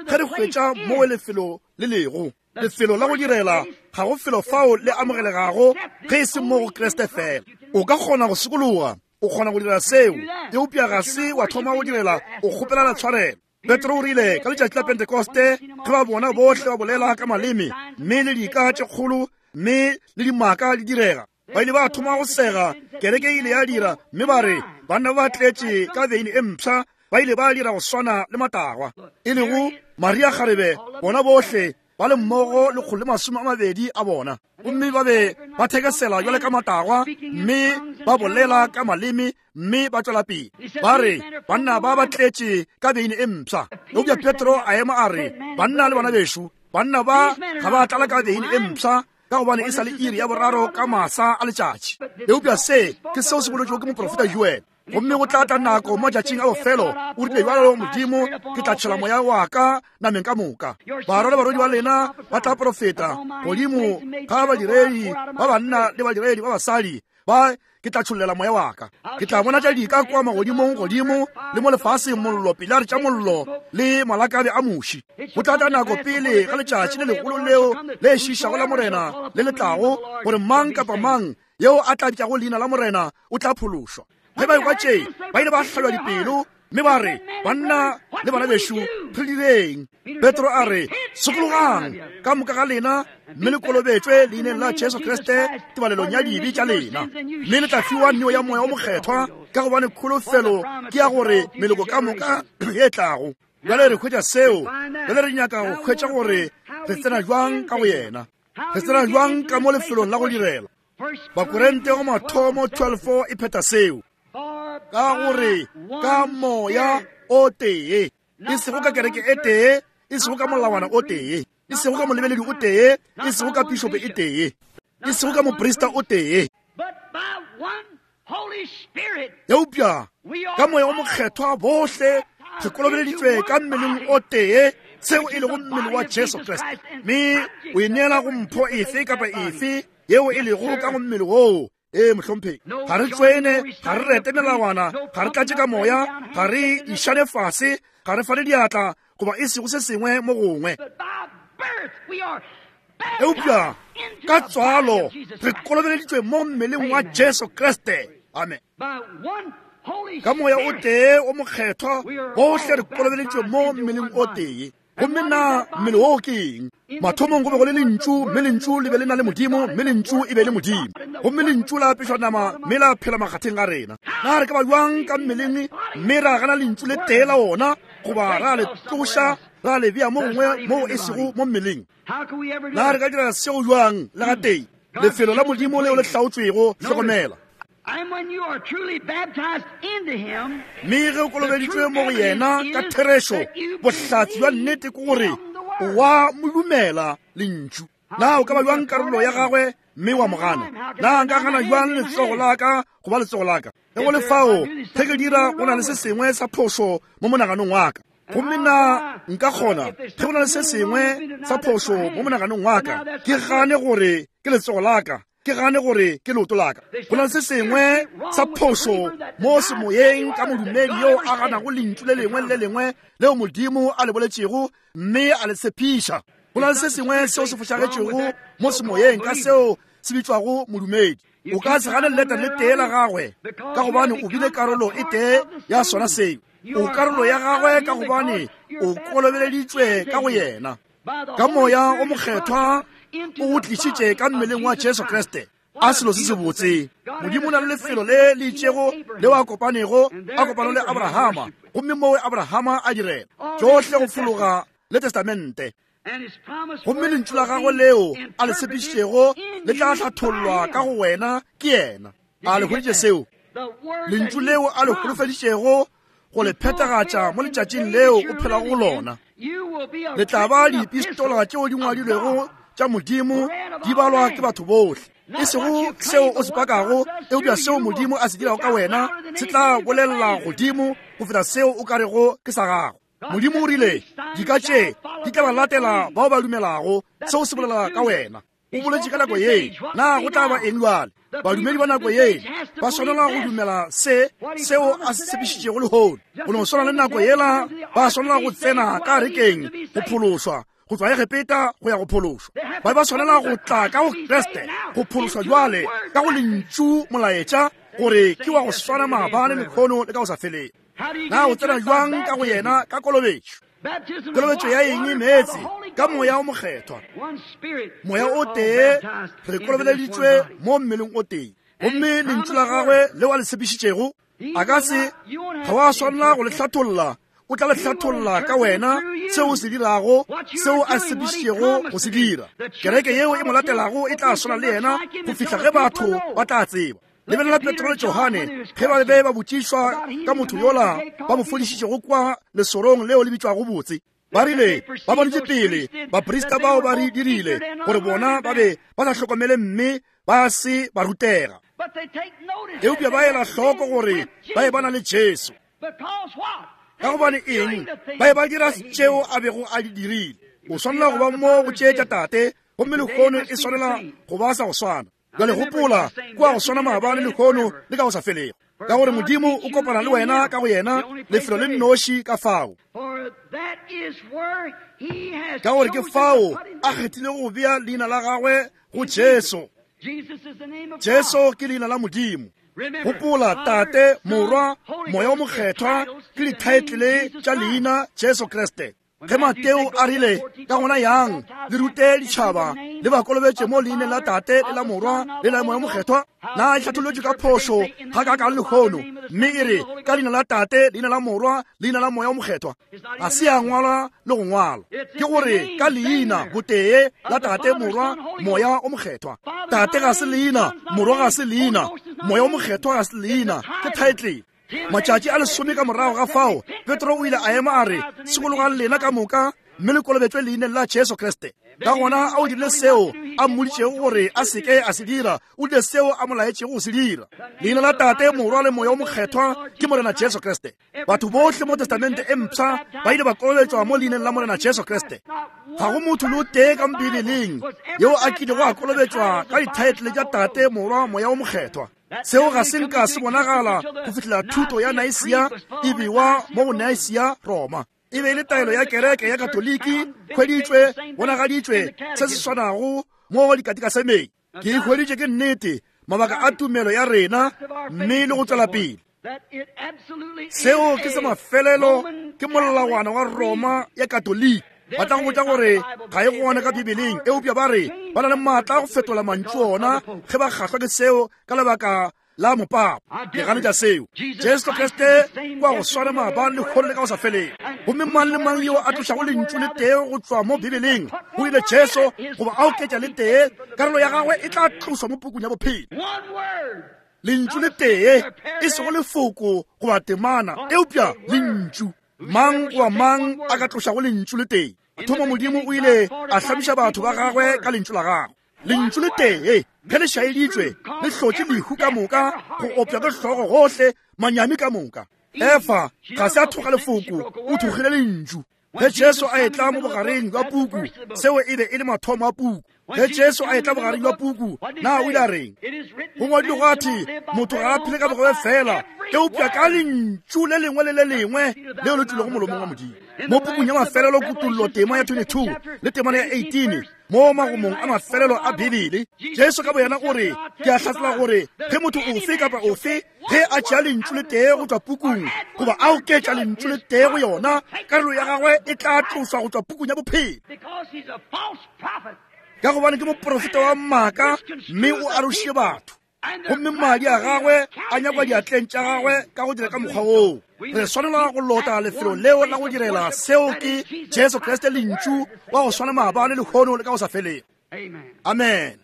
ge re hwetša moo lefelo le lego, lefelo la go direla, ga go felo fao le amogelegago ge e se mo go Kriste fela. O ka kgona go sokologa, o kgona go dira seo, eupša ga se wa thoma go direla o kgopelana tshwarelo. Petro o rile ka letšatši la Pentekoste, ge ba bona bohle ba bolela ka maleme mme le dika tše kgolo mme le dimaka di direga, ba ile ba thoma go sega. Kereke e ile ya dira, mme ba re banna ba tletše ka veine e mpsha, ba ile ba dira go swana le matagwa, e lego Maria Kgarebe, bona bohle ba le mmogo lekgolo le masome a mabedi a bona. Gomme ba be ba thekesela jwale ka matagwa, mme ba bolela ka maleme, mme ba tšwela pele ba re banna ba ba tletše ka veine e mpsha. Eupša Petro a ema a re, banna le bana bešo, banna ba ga ba tlala ka veine e mpsha, ka gobane e sa le iri ya boraro ka masa a letšatši. Eupša se ke seo se boletšego ke moprofeta Joel. Gomme go tla tla nako mo matšatšing a bofelo, o rile bjalo Modimo, ke tla tšhela moya wa ka nameng ka moka. Barwa le barwedi ba lena ba tla profeta, godimo ga badiredi ba banna le badiredi ba basadi ba ke tla tšhollela moya wa ka. Ke tla bonatša dika kua magodimong godimo le mo lefaseng, mollo, pilare tša mollo le malakabe a muši. Go tla tla nako pele ga letšatši le legolo leo le šišago la Morena le le tlago, gore mang kapa mang yeo a tla bitšago leina la Morena o tla phološwa. Ge ba ekwa tše, ba ile ba hlabja dipelo mme ba re, banna le bana bešo, re direng? Petro a re, sokologang ka moka ga lena mme le kolobetšwe leineng la Jesu Kriste tebalelong ya dibe tša lena, mme le tla fiwa neo ya moya o mokgethwa, ka gobane kholofelo ke ya gore meloko ka moka e tlago. Bjale re hwetša seo, bjale re nyaka go hwetša gore re tsena jwang ka go yena, re tsena jwang ka mo lefelong la go direla. Bakorinte go mathomo twelve e phetha seo, ka gore ka moya o tee, e sego ka kereke e tee, e sego ka molawana o tee, e sego ka molebeledi o tee, e sego ka pišopo e tee, e sego ka moprista o tee, eupša ka moya o mokgethwa bohle re kolobeleditšwe ka mmeleng o tee, seo e lego mmele wa Jesu Kriste. Mme o e neela go mpho efe kapa efe yeo e lego ka go mmele woo. Ee mohlomphegi, ga re tswene, ga re rete melawana, ga re tlatše ka moya, ga re išane fase, ga re fane diatla goba e sego se sengwe mo gongwe. Eupša ka tswalo re kolobeleditšwe mo mmeleng wa Jesu Kriste. Amen. Ka moya o tee o mokgethwa bohle re kolobeleditšwe mo mmeleng o tee. Gomme na mmele woo ke eng? Mathomong go be go le lentšu, mme lentšu le be le na le Modimo, mme lentšu e be le Modimo. Gomme lentšu la apešwa nama mme la phela makgatheng a rena. Na re ka ba jwang ka mmeleng mme ra gana lentšu le tee la ona, goba ra le tloša ra le bea mo gongwe moo e sego mo mmeleng? Na re ka dira seo jwang le gatee? Lefelo la Modimo leo le hlaotšwego, hlokomela. Mme ge o kolobeditšwe mo go yena ka therešo, bohlatse bja nnete ke gore o wa mo dumela lentšu. Na o ka ba jwang karolo ya gagwe mme wa mo gana. Na nka gana bjang letsogo la ka goba letsogo la ka? Ge go le fao, ge ke dira go na le se sengwe sa phošo mo monaganong wa ka. Gomme nna nka kgona ge go na le se sengwe sa phošo mo monaganong wa ka, ke gane gore ke letsogo la ka, ke gane gore ke leoto la ka. Go na le se sengwe sa phošo mo semoyeng ka modumedi yo a ganago lentšu le lengwe le le lengwe leo Modimo a le boletšego mme a le tshepiša. Go na le se sengwe seo se fošagetšego mo semoyeng ka seo se bitšwago modumedi. O ka se gane leleta le tee la gagwe ka gobane o bile karolo e tee ya sona seo. O karolo ya gagwe ka gobane o kolobeleditšwe ka go yena. Ka moya o mokgethwa o go tlišitše ka mmeleng wa Jesu Kriste. A selo se sebotse. Modimo o na le lefelo le le itšego leo a kopanego, a kopano le Abrahama, gomme moo Abrahama a direla tšohle go fologa le testamente. Gomme lentšu la gagwe leo a le tshepišitšego le tla hlathollwa ka go wena ke yena. A le hweditše seo? Lentšu leo a le holofeditšego go le phethagatša mo letšatšing leo o phelago go lona. Le tla ba dipistola tšeo di ngwadilwego tša Modimo di balwa ke batho bohle. E sego seo o se pakago, eupša seo Modimo a se dirago ka wena se tla bolelela godimo go feta seo o ka rego ke sa gago. Modimo o rile dika tše di tla ba latela bao ba dumelago. Seo se bolela ka wena. O boletše ka nako ye, na go tla ba eng bjale? Badumedi ba nako ye ba swanela go dumela se seo a se tshepišitšego lehono. Go no swana le nako yela ba swanela go tsena ka arekeng go phološwa, go tšwa Egepeta go ya go phološwa. Ba ba swanela go tla ka go Kriste go phološwa jwale ka go lentšu molaetša gore ke wa go swana maabane, lehono le ka go sa feleng. Na o tsena jwang ka go yena? Ka kolobetšo. Kolobetšo ya eng? Meetse, ka moya o mokgethwa. Moya o tee, re kolobeleditšwe mo mmeleng o tee. Gomme lentšu la gagwe leo a le tshepišitšego a ka se, ga wa swanela go le hlatholla. O tla le hlatholla ka wena seo o se dirago, seo a tshepišitšego go se dira. Kereke yeo e mo latelago e tla swana le yena go fihla ge batho ba tla tseba. Lebelela Petro le Johane ge ba be ba botšišwa ka motho yola ba mo fodišitšego kwa lesorong leo le bitšwago Botse. Ba rile ba bonetše pele baprista bao ba re dirile gore bona ba be ba sa hlokomele mme ba se ba rutega. Eupša ba ela hloko gore ba e ba na le Jesu. Ka gobane eng? Ba e ba dira tšeo a bego a di dirile. O swanela go ba mo go tšeetša tate, gomme lehono e swanela go ba sa go swana. Bjale gopola, kwa go swana maabane, lehono le ka go sa felego. Ka gore Modimo o kopana le wena ka go yena, lefelo le nnoši ka fao. Ka gore ke fao a kgethile go bea leina la gagwe go Jesu. Jesu ke leina la Modimo. Gopola, Tate, Morwa, Moya o Mokgethwa ke dithaetlele tša leina Jesu Kriste. Ge Mateo a rile, ka gona yang le rute ditšhaba le ba kolobetše mo leineng la Tate le la Morwa le la Moya Mokgethwa, na e hlatholotšwe ka phošo ga ka kang lehono, mme e re ka leina la Tate, leina la Morwa, leina la Moya Mokgethwa? Ga se ya ngwalwa le go ngwalwa. Ke gore ka leina botee la Tate, Morwa, Moya o Mokgethwa. Tate ga se leina, Morwa ga se leina, Moya o Mokgethwa ga se leina, ke title. Matšatši a lesome ka morago ga fao, Petro o ile a ema a re, sekologang lena ka moka mme le kolobetšwe leineng la Jesu Kriste. Ka gona a o dirile seo a mmoditšego gore a seke a se dira, o dirile seo a mo laetšego go se dira. Leina la Tate, Morwa le Moya o Mokgethwa ke Morena Jesu Kriste. Batho bohle mo Testamente e mpsha ba ile ba kolobetšwa mo leineng la Morena Jesu Kriste. Ga go motho le o tee ka Bibeleng yeo a kilego a kolobetšwa ka dithaetlele tša Tate, Morwa, Moya o Mokgethwa. Seo ga se nka se bonagala go fihlela thuto ya Nicaea e bewa mo go Nicaea, Roma. E be e le taelo ya kereke ya Katoliki, hweditšwe, bonagaditšwe se se swanago mo dikatikasemeng. Ke e hweditše ke nnete, mabaka a tumelo ya rena mme le go tswela pele. Seo ke se mafelelo, ke molawana wa Roma ya Katoliki. Ba tla go botša gore ga e gona ka Bibeleng, eupša ba re ba na le maatla a go fetola mantšu ona ge ba kgahlwa ke seo ka lebaka la mopapa. Ke ganetša seo. Jesu Kriste kwa go swana maabane, lehono le ka go sa feleng. Gomme mang le mang yo a tlošago lentšu le tee go tšwa mo Bibeleng, go ile Jesu goba a oketša le tee, karolo ya gagwe e tla tloswa mo pukung ya bophelo. Lentšu le tee, e sego lefoko goba temana, eupša lentšu. Mang goba mang a ka tlošago lentšu le tee. Thomo Modimo o ile a hlamiša batho ba gagwe ka lentšu la gagwe. Lentšu le tee ge le šaeditšwe le hlotše lehu ka moka, go opša ke hlogo gohle, manyami ka moka. Efa ga se a thoga lefoko, o thogile lentšu. Ge Jesu a etla mo bogareng bja puku, seo e be e le mathomo a puku. Ge Jesu a etla bogareng bja puku, na o ile a reng? Go ngwadilwe gwa thwe, motho ga a phele ka bogobe fela, eupša ka lentšu le lengwe le le lengwe leo le tšwilego molomong wa Modimo. Mo pukung ya mafelelo Kutollo tema ya twenty-two le temana ya eighteen, mo magomong a mafelelo a Bibele, Jesu ka boyena o re, ke a hlatsela gore ge motho ofe kapa ofe ge a tšea lentšu le tee go tšwa pukung goba a oketša lentšu le tee go yona, karolo ya gagwe e tla tloswa go tšwa pukung ya bophelo. Ka gobane ke moprofeta wa maaka mme o arošitše batho, gomme madi a gagwe a nyakwa diatleng tša gagwe ka go dira ka mokgwa woo. Re swanelwa go lota lefelo leo la go direla seo ke Jesu Kriste lentšu wa go swana maabane, lehono le ka go sa felego. Amen.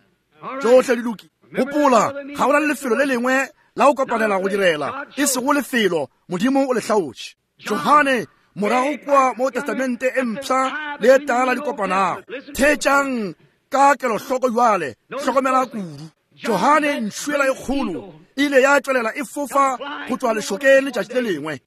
Tšohle di loki. Gopola, ga go na le lefelo le lengwe la go kopanela go direla, e sego lefelo Modimo o le hlaotše. Johane morago kua mo Testamente e mpsha le e tala di kopanago. Theetšang ka kelohloko bjale, hlokomela kudu. Johane ntšhuela e kgolo ile ya tšwelela e fofa go tšwa lešokeng letšatši le lengwe.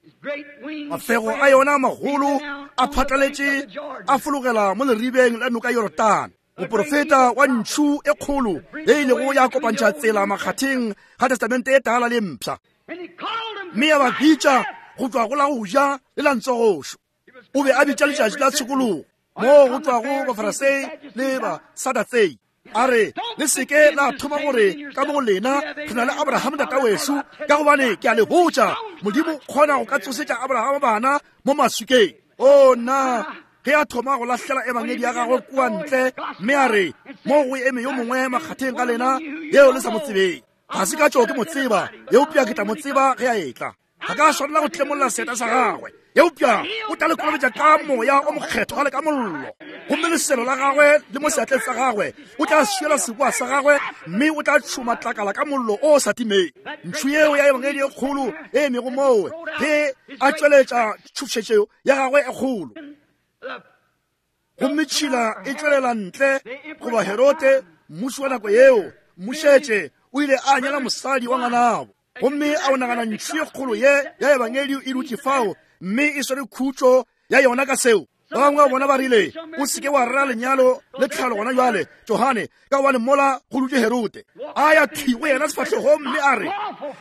Mafego a yona magolo a phatlaletše a fologela mo leribeng la noka Yorodane. Moprofeta wa ntšhu e kgolo ye ilego ya kopantšha tsela makgatheng ga Testamente e tala le mpsha, mme ya ba bitša go tšwa go la go ja le la ntsogošo. O be a bitša letšatši la tshokologo moo go tšwago Bafarasei le Basadatsei. A re, le seke la thoma gore ka mo go lena re na le Abraham tata wešo, ka gobane ke a le botša, Modimo kgona go ka tsosetša Abraham bana mo maswikeng. O nna, ge a thoma go lahlela ebangedi ya gagwe kua ntle, mme a re, mo go eme yo mongwe makgatheng ga lena yeo le sa mo tsebeng. Ga se ka tšo ke mo tseba, eupša ke tla mo tseba ge a etla. Ga ka swanela go tlemolla seeta sa gagwe, eupša o tla le kolobetša ka moya o mokgethwa le ka mollo. Gomme leselo la gagwe le mo seatleng sa gagwe o tla swiela seboa sa gagwe, mme o tla tšhuma tlakala ka mollo o sa timeng. Ntšhu yeo ya ebangedi e kgolo e emego moo ge a tšweletša tšhošetšo ya gagwe e kgolo, gomme tšhila e tšwelela ntle goba Herode mmuši wa nako yeo mmušetše o ile a nyala mosadi wa ngwanabo. Gomme a o nagana ntšhu e kgolo ye ya ebangedi e dutše fao mme e swere khutšo ya yona ka seo. Ba bangwe ba bona ba rile, o seke wa rera lenyalo le tlhalo gona jwale, Johane, ka gobane mola go dutše Herode. A ya thwi go yena sefahlegong mme a re,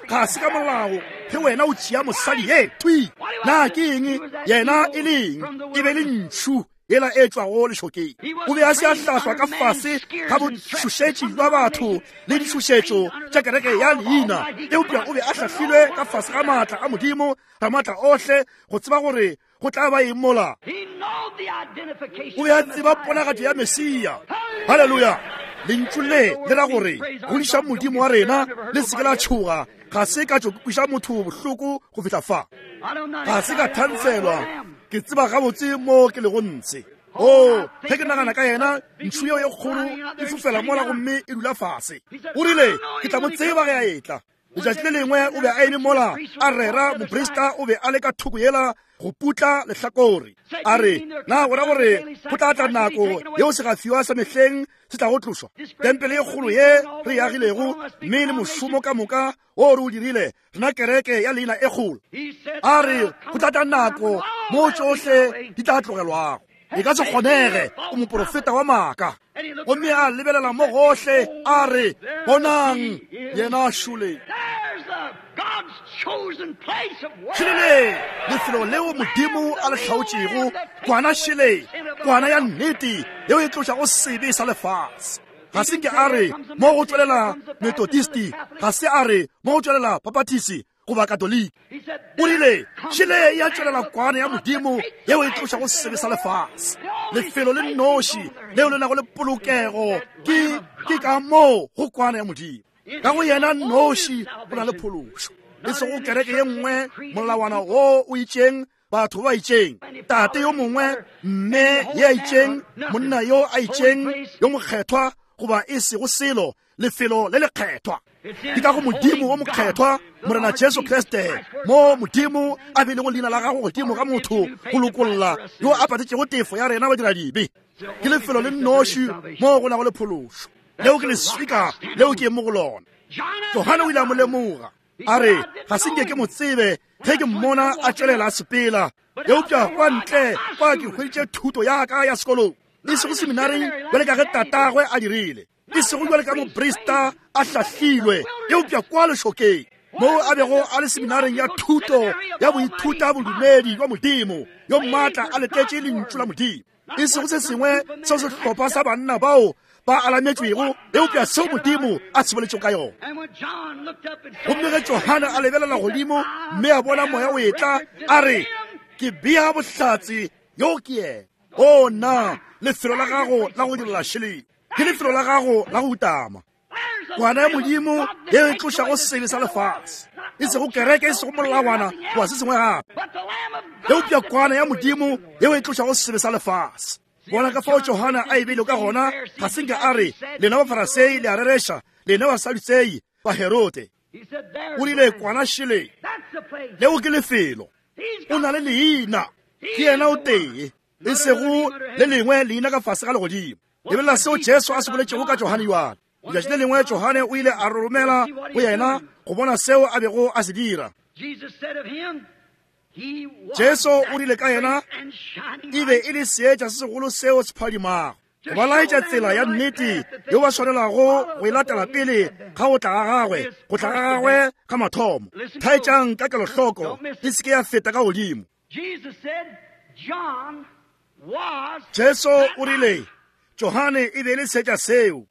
ga se ka molao ge wena o tšea mosadi ye thwi. Na ke eng yena e leng? E be le ntšhu yela e tšwago lešokeng. O be a se a hlahlwa ka fase ga botšhošetši bja batho le ditšhošetšo tša kereke ya leina, eupša o be a hlahlilwe ka fase ga maatla a Modimo Ramaatla ohle go tseba gore go tla ba eng mola. O be a tseba ponagatšo ya Mesia. Haleluya! Lentšu le le ra gore godišang Modimo wa rena, le se ke la tšhoga. Ga se ka tšo kweša motho bohloko go fihla fa. Ga se ka thantshelwa, ke tseba gabotse mo ke lego ntshe. O, ge ke nagana ka yena, ntšhu yeo e kgolo e fofela mola gomme e dula fase. O rile, ke tla mo tseba ge a etla. Letšatši le lengwe o be a eme mola a rera, moprista o be a le ka thoko yela go putla lehlakore. A re, na go ra gore go tla tla nako yeo segafiwa sa mehleng se tla go tlošwa? Tempele e kgolo ye re e agilego mme le mošomo ka moka wo re o dirile, rena kereke ya leina e kgolo. A re, go tla tla nako mo tšohle di tla tlogelwago. E ka se kgonege, o moprofeta wa maaka. Gomme a lebelela mo gohle, a re, bonang yena šole. Šele lefelo leo Modimo a le hlaotšego, kwana šele, kwana ya nnete yeo e tlošago sebe sa lefase. Ga se nke a re mo go tšwelela Methodisti, ga se a re mo go tšwelela Baptist goba Katoliki. O rile, šele ya tšwelela kwana ya Modimo yeo e tlošago sebe sa lefase. Lefelo le nnoši leo le nago le polokego ke ke ka moo go kwana ya Modimo. Ka go yena nnoši go na le phološo, e sego kereke ye nngwe, molawana wo o itšeng, batho ba itšeng, tate yo mongwe, mme ye a itšeng, monna yo a itšeng, yo mokgethwa, goba e sego selo, lefelo le lekgethwa. Ke ka go Modimo wo mokgethwa, Morena Jesu Kriste, mo Modimo a beilego leina la gagwe godimo ga motho go lokolla yo a patetšego tefo ya rena badiradibe. Ke lefelo le nnoši mo go nago le phološo. Leo ke leswika leo ke mo go lona. Johane o ile a mo lemoga. A re, ga se nke ke mo tsebe ge ke mmona a tšwelela a sepela. Eupša kwa ntle kwa ke hweditše thuto ya ka ya sekolong. E sego seminareng bjale ka ge tatagwe a dirile. E sego bjale ka moprista a hlahlilwe, eupša kwa lešokeng moo a bego a le seminareng ya thuto ya boithuta bodumedi bja Modimo yo maatla a letetše lentšu la Modimo. E sego se sengwe seo sehlopha sa banna bao ba alametšwego, eupša seo Modimo a se boletšego ka yona. Gomme ge Johane a lebelela godimo mme a bona moya o etla, a re, ke bea bohlatse yo ke yena. O na lefelo la gago la go direla šeleng ke lefelo la gago la go utama. Kwana ya Modimo yeo e tlošago sebe sa lefase, e sego kereke, e sego molawana goba se sengwe gape, eupša kwana ya Modimo yeo e tlošago sebe sa lefase. Bona ka fao Johane a e beile ka gona. Ga se nke a re, lena Bafarasei le a rereša, lena Basadutsei ba Herode. O rile, kwana šele, leo ke lefelo. O na le leina, ke yena o tee, e sego le lengwe leina ka fase ga legodimo. Lebelela seo Jesu a se boletšego ka Johane yoana. Letšatši le lengwe Johane o ile a romela go yena go bona seo a bego a se dira. Jesu o rile ka yena, e be e le seetša se segolo seo se phadimago, go ba laetša tsela ya nnete yeo ba swanelago go e latela pele ga go tla ga gagwe, go tla ga gagwe ga mathomo. Thaetšang ka kelohloko, e se ke ya feta ka godimo. Jesu o rile Johane e be e le seetša seo.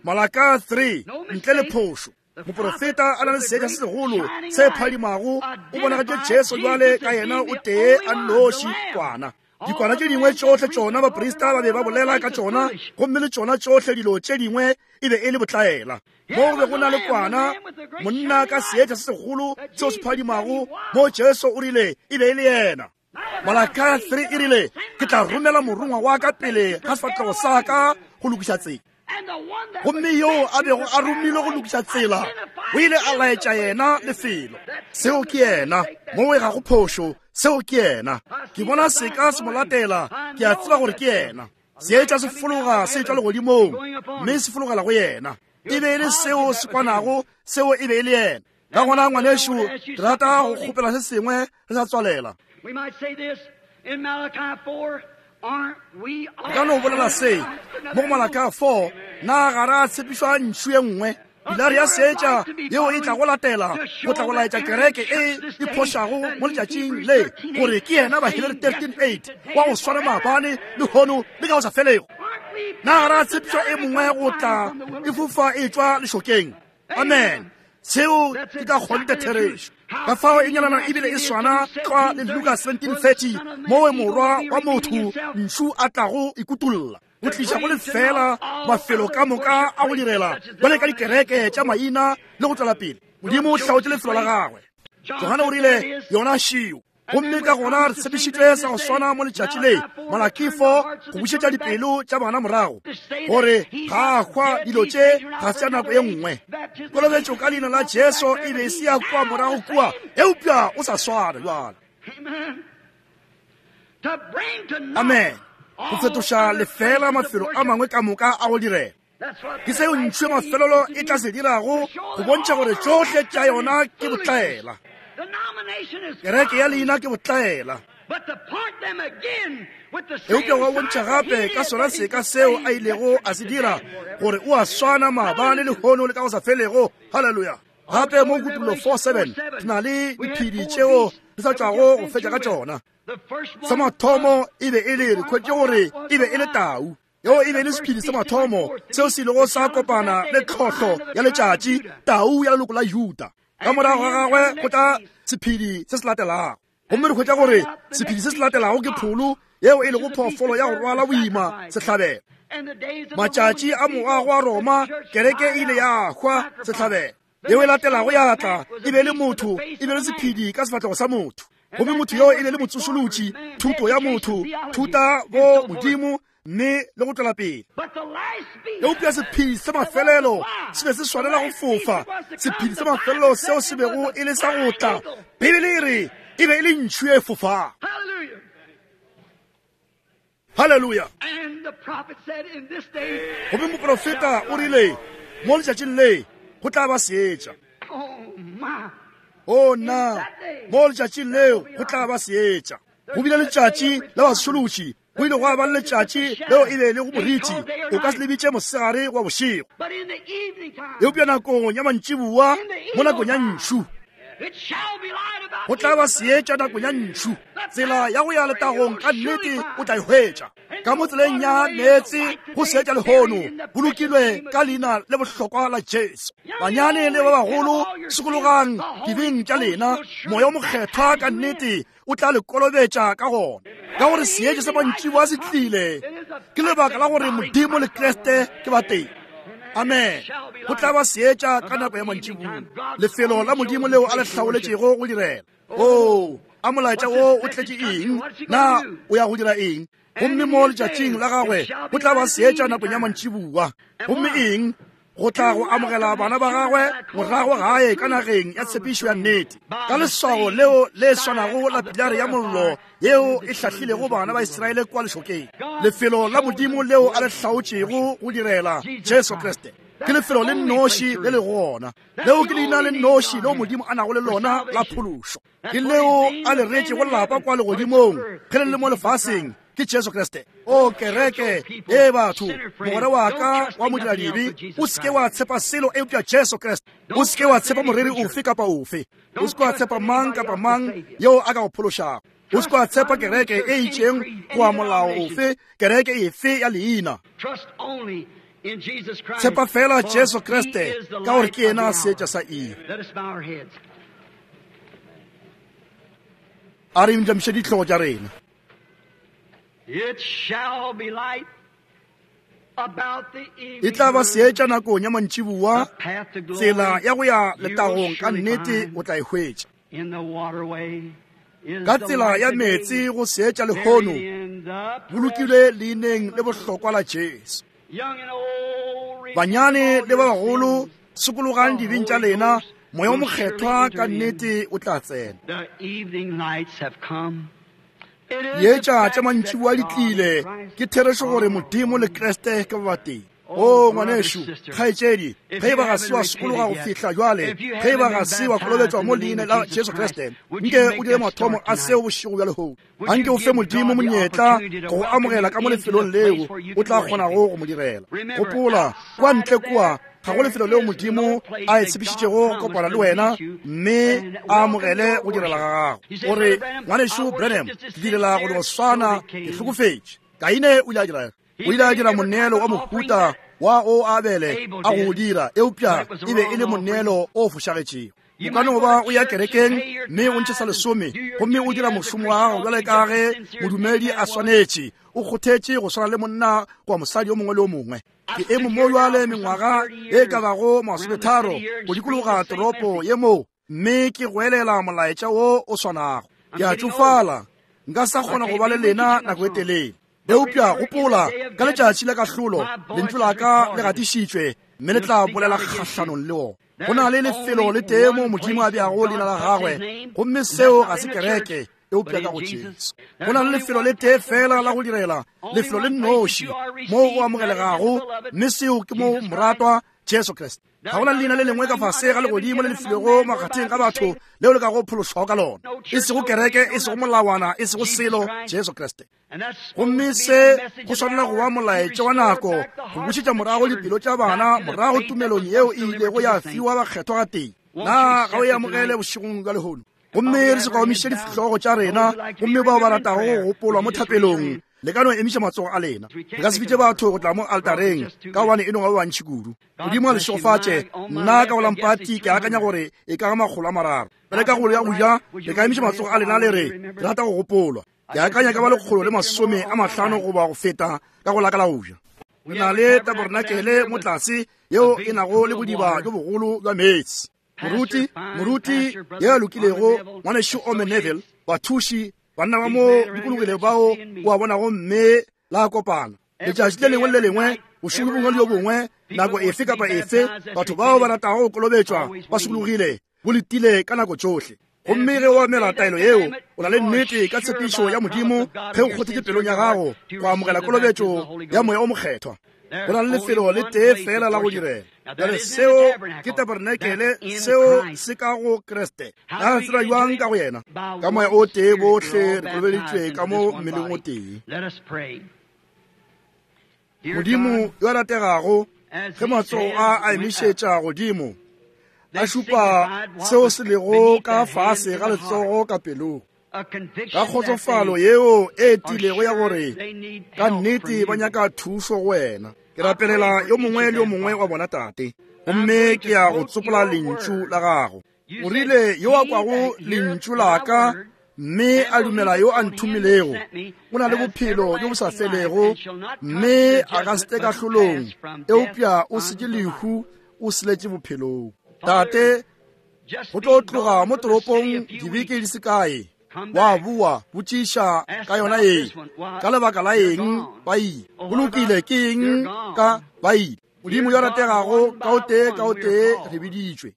Malaka three, ntle le phošo. Moprofeta a na le seetša se segolo se phadimago, o bonagatše Jesu jwale ka yena o tee a nnoši kwana. Dikwana tše dingwe tšohle tšona baprista ba be ba bolela ka tšona, gomme le tšona tšohle dilo tše dingwe e be e le botlaela. Mo go be go na le kwana, monna ka seetša se segolo seo se phadimago, mo Jesu o rile e be e le yena. Malaka three e rile, ke tla romela morongwa wa ka pele ga sefahlego sa ka go lokiša tsela. Gomme yoo a bego a romilwe go lokiša tsela o ile a laetša yena lefelo. Seo ke yena, moo e ga go phošo, seo ke yena. Ke bona seka se mo latela, ke a tseba gore ke yena. Seetša se fologa se tšwa legodimong mme se fologela go yena. E be e le seo se kwanago, seo e be e le yena. Ka gona ngwanešu, ke rata go kgopela se sengwe re sa tswalela. Re ka no bolela se mo go Malaka four, na ga ra tshepišwa ntšhu ye nngwe, pilare ya seetša yeo e tla go latela go tla go laetša kereke e e phošago mo letšatšing le gore ke yena Bahebere thirteen eight wa go swana maabane lehono le ka go sa felego. Na ga ra tshepišwa e mongwe go tla e fofa e tšwa lešokeng? Amen. Seo ke ka kgonthe therešo. Ka fao e nyalana ebile e swana tlwa le Luka seventeen thirty, mowe morwa wa motho ntšhu a tlago ikutolla go tliša go lefela mafelo ka moka a go direla bjale ka dikereke tša maina le go tšwela pele. Modimo o hlaotše lefelo la gagwe. Johane o rile yona šio. Gomme ka gona re tshepišitšwe sa go swana mo letšatši le, Malaki four, go bušetša dipelo tša bana morago, gore ga a hwa dilo tše ga se tša nako ye nngwe. Kolobetšo ka leina la Jesu e be e se ya kua morago kua, eupša o sa swana jwale. Amen. Go fetoša lefela mafelo a mangwe ka moka a go direla. Ke seo ntšhu ya mafelelo e tla se dirago go bontšha gore tšohle tša yona ke botlaela. Kereke ya leina ke botlaela. Eupša wa bontšha gape ka sona seka seo a ilego a se dira gore o a swana maabane lehono le ka go sa felego. Haleluya. Gape mo Kutullo four seven re na le diphedi tšeo re sa tšwago go fetša ka tšona. Sa mathomo e be e le, re hwetše gore e be e le tau. Yeo e be e le sephedi sa mathomo seo se ilego sa kopana le tlhohlo ya letšatši, tau ya leloko la Juda. Ka morago ga gagwe go tla sephedi se se latelago. Gomme re hwetša gore sephedi se se latelago ke pholo, yeo e lego phoofolo ya go rwala boima sehlabelo. Matšatši a moago wa Roma, kereke e ile ya hwa sehlabelo. Yeo e latelago ya tla e be le motho, e be le sephedi ka sefahlego sa motho. Gomme motho yo e be le motsošolotši, thuto ya motho, thuta bo Modimo, mme le go tšwela pele. Eupša sephedi sa mafelelo se be se swanela go fofa. Sephedi sa mafelelo seo se bego e le sa go tla, Bibele e re e be e le ntšhu e fofago. Halleluja. Gomme moprofeta o rile mo letšatšing le go tla ba seetša. O nna, mo letšatšing leo go tla ba seetša. Go bile letšatši la bašološi, go ile gwa ba le letšatši leo e be le go moriti, o ka se le bitše mosegare wa bošego. Eupša nakong ya mantšiboa, mo nakong ya ntšhu, go tla ba seetša nakong ya ntšhu. Tsela ya go ya letagong ka nnete o tla e hwetša. Ka mo tseleng ya meetse go seetša lehono, bolokilwe ka leina le bohlokwa la Jesu. Banyane le ba bagolo, sokologang dibeng tša lena, moya o mokgethwa ka nnete o tla le kolobetša ka gona. Ka gore seetša sa mantšiboa se tlile, ke lebaka la gore Modimo le Kriste ke ba teng. Amen. Go tla ba seetša ka nako ya mantšiboa, lefelo la Modimo leo a le hlaoletšego go direla. Oo, a molaetša wo o tletše eng? Na o ya go dira eng? Gomme mo letšatšing la gagwe go tla ba seetša nakong ya mantšiboa. Gomme eng? Go tla go amogela bana ba gagwe morago gae ka nageng ya tshepišo ya nnete, ka leswao leo le swanago la pilare ya mollo yeo e hlahlilego bana ba Israele kwa lešokeng. Lefelo la Modimo leo a le hlaotšego go direla, Jesu Kriste, ke lefelo le nnoši le le gona. Leo ke leina le nnoši leo Modimo a nago le lona la phološo. Ke leo a le retšego lapa kwa legodimong ge le le mo lefaseng, ke Jesu Kriste. O kereke e batho, mogwera wa ka wa modiradibe, o seke wa tshepa selo eupša Jesu Kriste. O seke wa tshepa moreri ofe kapa ofe. O seke wa tshepa mang kapa mang yeo a ka go phološago. O seke wa tshepa kereke e itšeng goba molao ofe, kereke efe ya leina. Tshepa fela Jesu Kriste, ka gore ke yena seetša sa iri. A re inamiše dihlogo tša rena. It shall be light about the evening. E tla ba seetša nakong ya mantšiboa, The path to glory tsela ya go ya you will letagong ka surely nnete find. o tla e hwetša. In the waterway is Ka the tsela light ya today, meetse go seetša lehono, buried in the bolokilwe leineng le bohlokwa la Jesu. Young and old, repent Banyane all le ba your bagolo, sins. sokologang dibeng tša lena, moya o mokgethwa ka nnete o tla tsena. The evening lights have come. It is Dietša the tša fact mantšiboa di that God tlile, and Christ ke therešo gore Modimo le Kriste ke ba batee. O ngwanešu, kgaetšedi, ge e ba ga se wa sokologa go fihla jwale, ge e ba ga se wa kolobetšwa mo leineng la Jesu Kriste, nke o dire mathomo a seo bošego bja lehono. Anke o fe Modimo monyetla go go amogela ka mo lefelong leo o tla kgonago go mo direla. Gopola, kwa ntle kua ga go lefelo leo Modimo a e tshepišitšego go kopana le wena mme a amogele go direla ga gago. Gore ngwanešu Branham, ke direla go no swana, ke hlokofetše. Kaine o ile a dira, o ile a dira moneelo wa mohuta wa o Abele a go o dira, eupša e be e le moneelo o fošagetšego. O ka no ba o ya kerekeng mme o ntšhe sa lesome, gomme o dira mošomo wa gago bjale ka ge modumedi a swanetše, o kgothetše go swana le monna goba mosadi yo mongwe le yo mongwe. Ke eme mo jwale mengwaga e ka bago masometharo go dikologa toropo ye mo, mme ke goelela molaetša wo o swanago. Ke a tšofala, nka sa kgona go ba le lena nako e telele. Eupša gopola, ka letšatši la kahlolo, lentšu la ka le gatišitšwe, mme le tla bolela kgahlanong le ona. Go na le lefelo le tee mo Modimo a beago leina la gagwe, gomme seo ga se kereke, eupša ka go Jesu. Go na le lefelo le tee fela la go direla, lefelo le nnoši mo o amogelegago, mme seo ke mo moratwa Jesu Kriste. Ga go na le leina le lengwe ka fase ga legodimo le le filwego makgatheng ga batho leo le ka go phološwago ka lona, e sego kereke, e sego molawana, e sego selo, Jesu Kriste. And that's Gomme supposed to se be the message go of swanela the go ba hour. molaetša To wa restore nako, back the go hearts bušetša of morago children dipelo tša back bana to the morago faith that tumelong was yeo once e delivered ilego to ya the saints. fiwa bakgethwa ga tee. Won't Na you ga o e accept it amogele tonight? bošegong bja lehono? Gomme re se kaomiše dihlogo tša rena, gomme bao ba ratago go gopolwa mo thapelong, le ka no emiša matsogo a lena. Re ka se bitše batho go tla mo altareng, ka gobane e no ba ba bantši kudu. Modimo a le šegofatše. Nna ka go lampati ke akanya gore e ka ga makgolo a mararo. Bjale ka go ya go ja, le ka emiša matsogo a lena le re, ke rata go gopolwa. Ke akanya ka ba lekgolo le masome a mahlano goba go feta ka go la ka la go ja. Re na le tabernacle mo tlase yeo e nago le bodiba bjo bogolo bja meetse. Moruti, moruti ye a lokilego, ngwanešu Ome Neville, bathuši, banna ba mo dikologile bao o a bonago mme la kopana. Letšatši le lengwe le le lengwe, bošego bjo bongwe le bjo bongwe, nako efe kapa efe, batho bao ba ratago go kolobetšwa ba sokologile, bo letile ka nako tšohle. Gomme ge o amela taelo yeo, o na le nnete ka tshepišo ya Modimo ge o kgothetše pelong ya gago go amogela kolobetšo ya Moya o Mokgethwa. Go na le lefelo le tee fela la go direla. Bjale seo ke tabernacle, seo se ka go Kriste. Na re tseba bjang ka go yena? Ka Moya o tee bohle re kolobeditšwe ka mo mmeleng o tee. Modimo yo a rategago, ge matsogo a a emišetša godimo, a šupa seo se lego ka fase ga letsogo ka pelong, ka kgotsofalo yeo e tilego ya gore ka nnete ba nyaka thušo go wena. Ke rapelela yo mongwe le yo mongwe wa bona, Tate, gomme ke ya go tsopola lentšu la gago. O rile, yo a kwago lentšu la ka mme a dumela yo a nthomilego, o na le bophelo bjo bo sa felego, mme a ka se tle kahlolong, eupša o setše lehu, o seletše bophelong. Tate, go tlo tloga mo toropong dibeke di se kae, wa boa botšiša ka yona ye, ka lebaka la eng ba ile? Go lokile, ke eng ka ba ile? Modimo yo rategago, ka o tee ka o tee re biditšwe,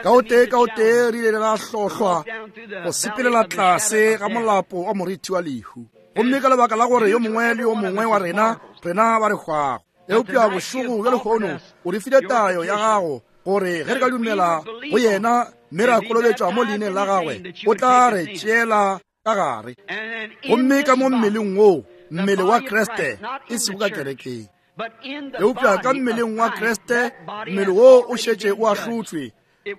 ka o tee ka o tee re ile ra hlohlwa go sepelela tlase ga molapo wa morithi wa lehu. Gomme ka lebaka la gore yo mongwe le yo mongwe wa rena, rena ba re hwago, eupša bošego bja lehono o re file tayo ya gago gore ge re ka dumela go yena mme ra kolobetšwa mo leineng la gagwe, o tla re tšeela ka gare. Gomme ka mo mmeleng woo, mmele wa Kriste, e sego ka kerekeng, eupša ka mmeleng wa Kriste, mmele woo o šetše o ahlotšwe,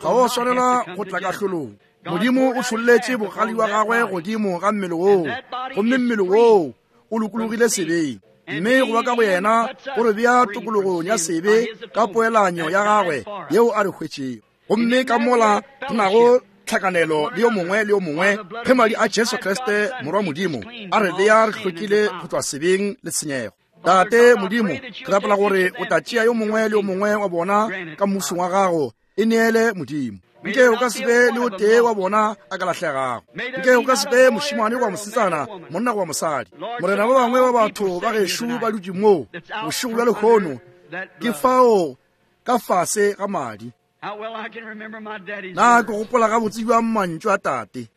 ga o swanela go tla kahlolong. Modimo o tšholletše bogale wa gagwe godimo ga mmele woo, gomme mmele woo o lokologile sebeng. Mme go ba ka go yena go re bea tokologong ya sebe ka poelanyo ya gagwe yeo a re hwetšego. Gomme ka mola re nago tlhakanelo le yo mongwe le yo mongwe, ge madi a Jesu Kriste Morwa Modimo a re bea re hlwekile go tšwa sebeng le tshenyego. Tate Modimo, ke rapela gore o tla tšea yo mongwe le yo mongwe wa bona ka mmušong wa gago, e neele Modimo. Nke o ka se be le o tee wa bona a ka lahlegago. Nke o ka se be mošemane goba mosetsana, monna goba mosadi. Morena, ba bangwe ba batho ba gešo ba dutše moo bošego bja lehono, ke fao ka fase ga madi. Na ke gopola gabotse bjang mantšu a Tate.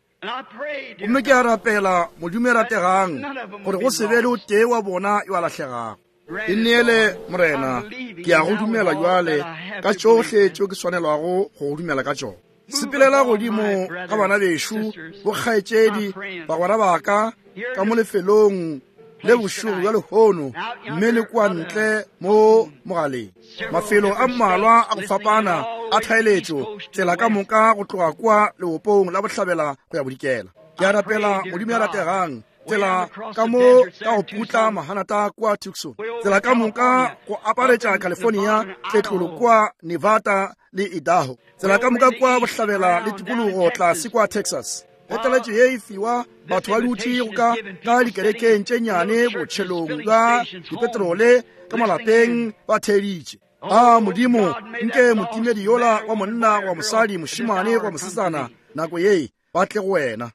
Gomme ke a rapela, Modimo ya rategang, gore go se be le o tee wa bona yo a lahlegago. E neele, Morena, ke a go dumela bjale ka tšohle tšeo ke swanelwago go go dumela ka tšona. Sepelela godimo ga bana bešo, bokgaetšedi, bagwera ba ka, ka mo lefelong le bošego bja lehono, mme le kua ntle mo mogaleng. Mafelo a mmalwa a go fapana a tlhaeletšo, tsela ka moka go tloga kua leopong la bohlabela go ya bodikela. Ke a rapela, Modimo ya rategang, tsela ka mo ka go putla mahanata kua Tucson, tsela ka moka go aparetša California, tletlolo kua Nevada le Idaho, tsela ka moka kua bohlabela le tikologo tlase kua Texas. Ge taletšo ye e fiwa, batho ba dutše go ka ka dikerekeng tše nnyane botšhelong bja dipetrole ka malapeng ba theeditše. A Modimo, nke motimedi yola wa monna goba mosadi, mošemane goba mosetsana, nako ye ba tle go wena.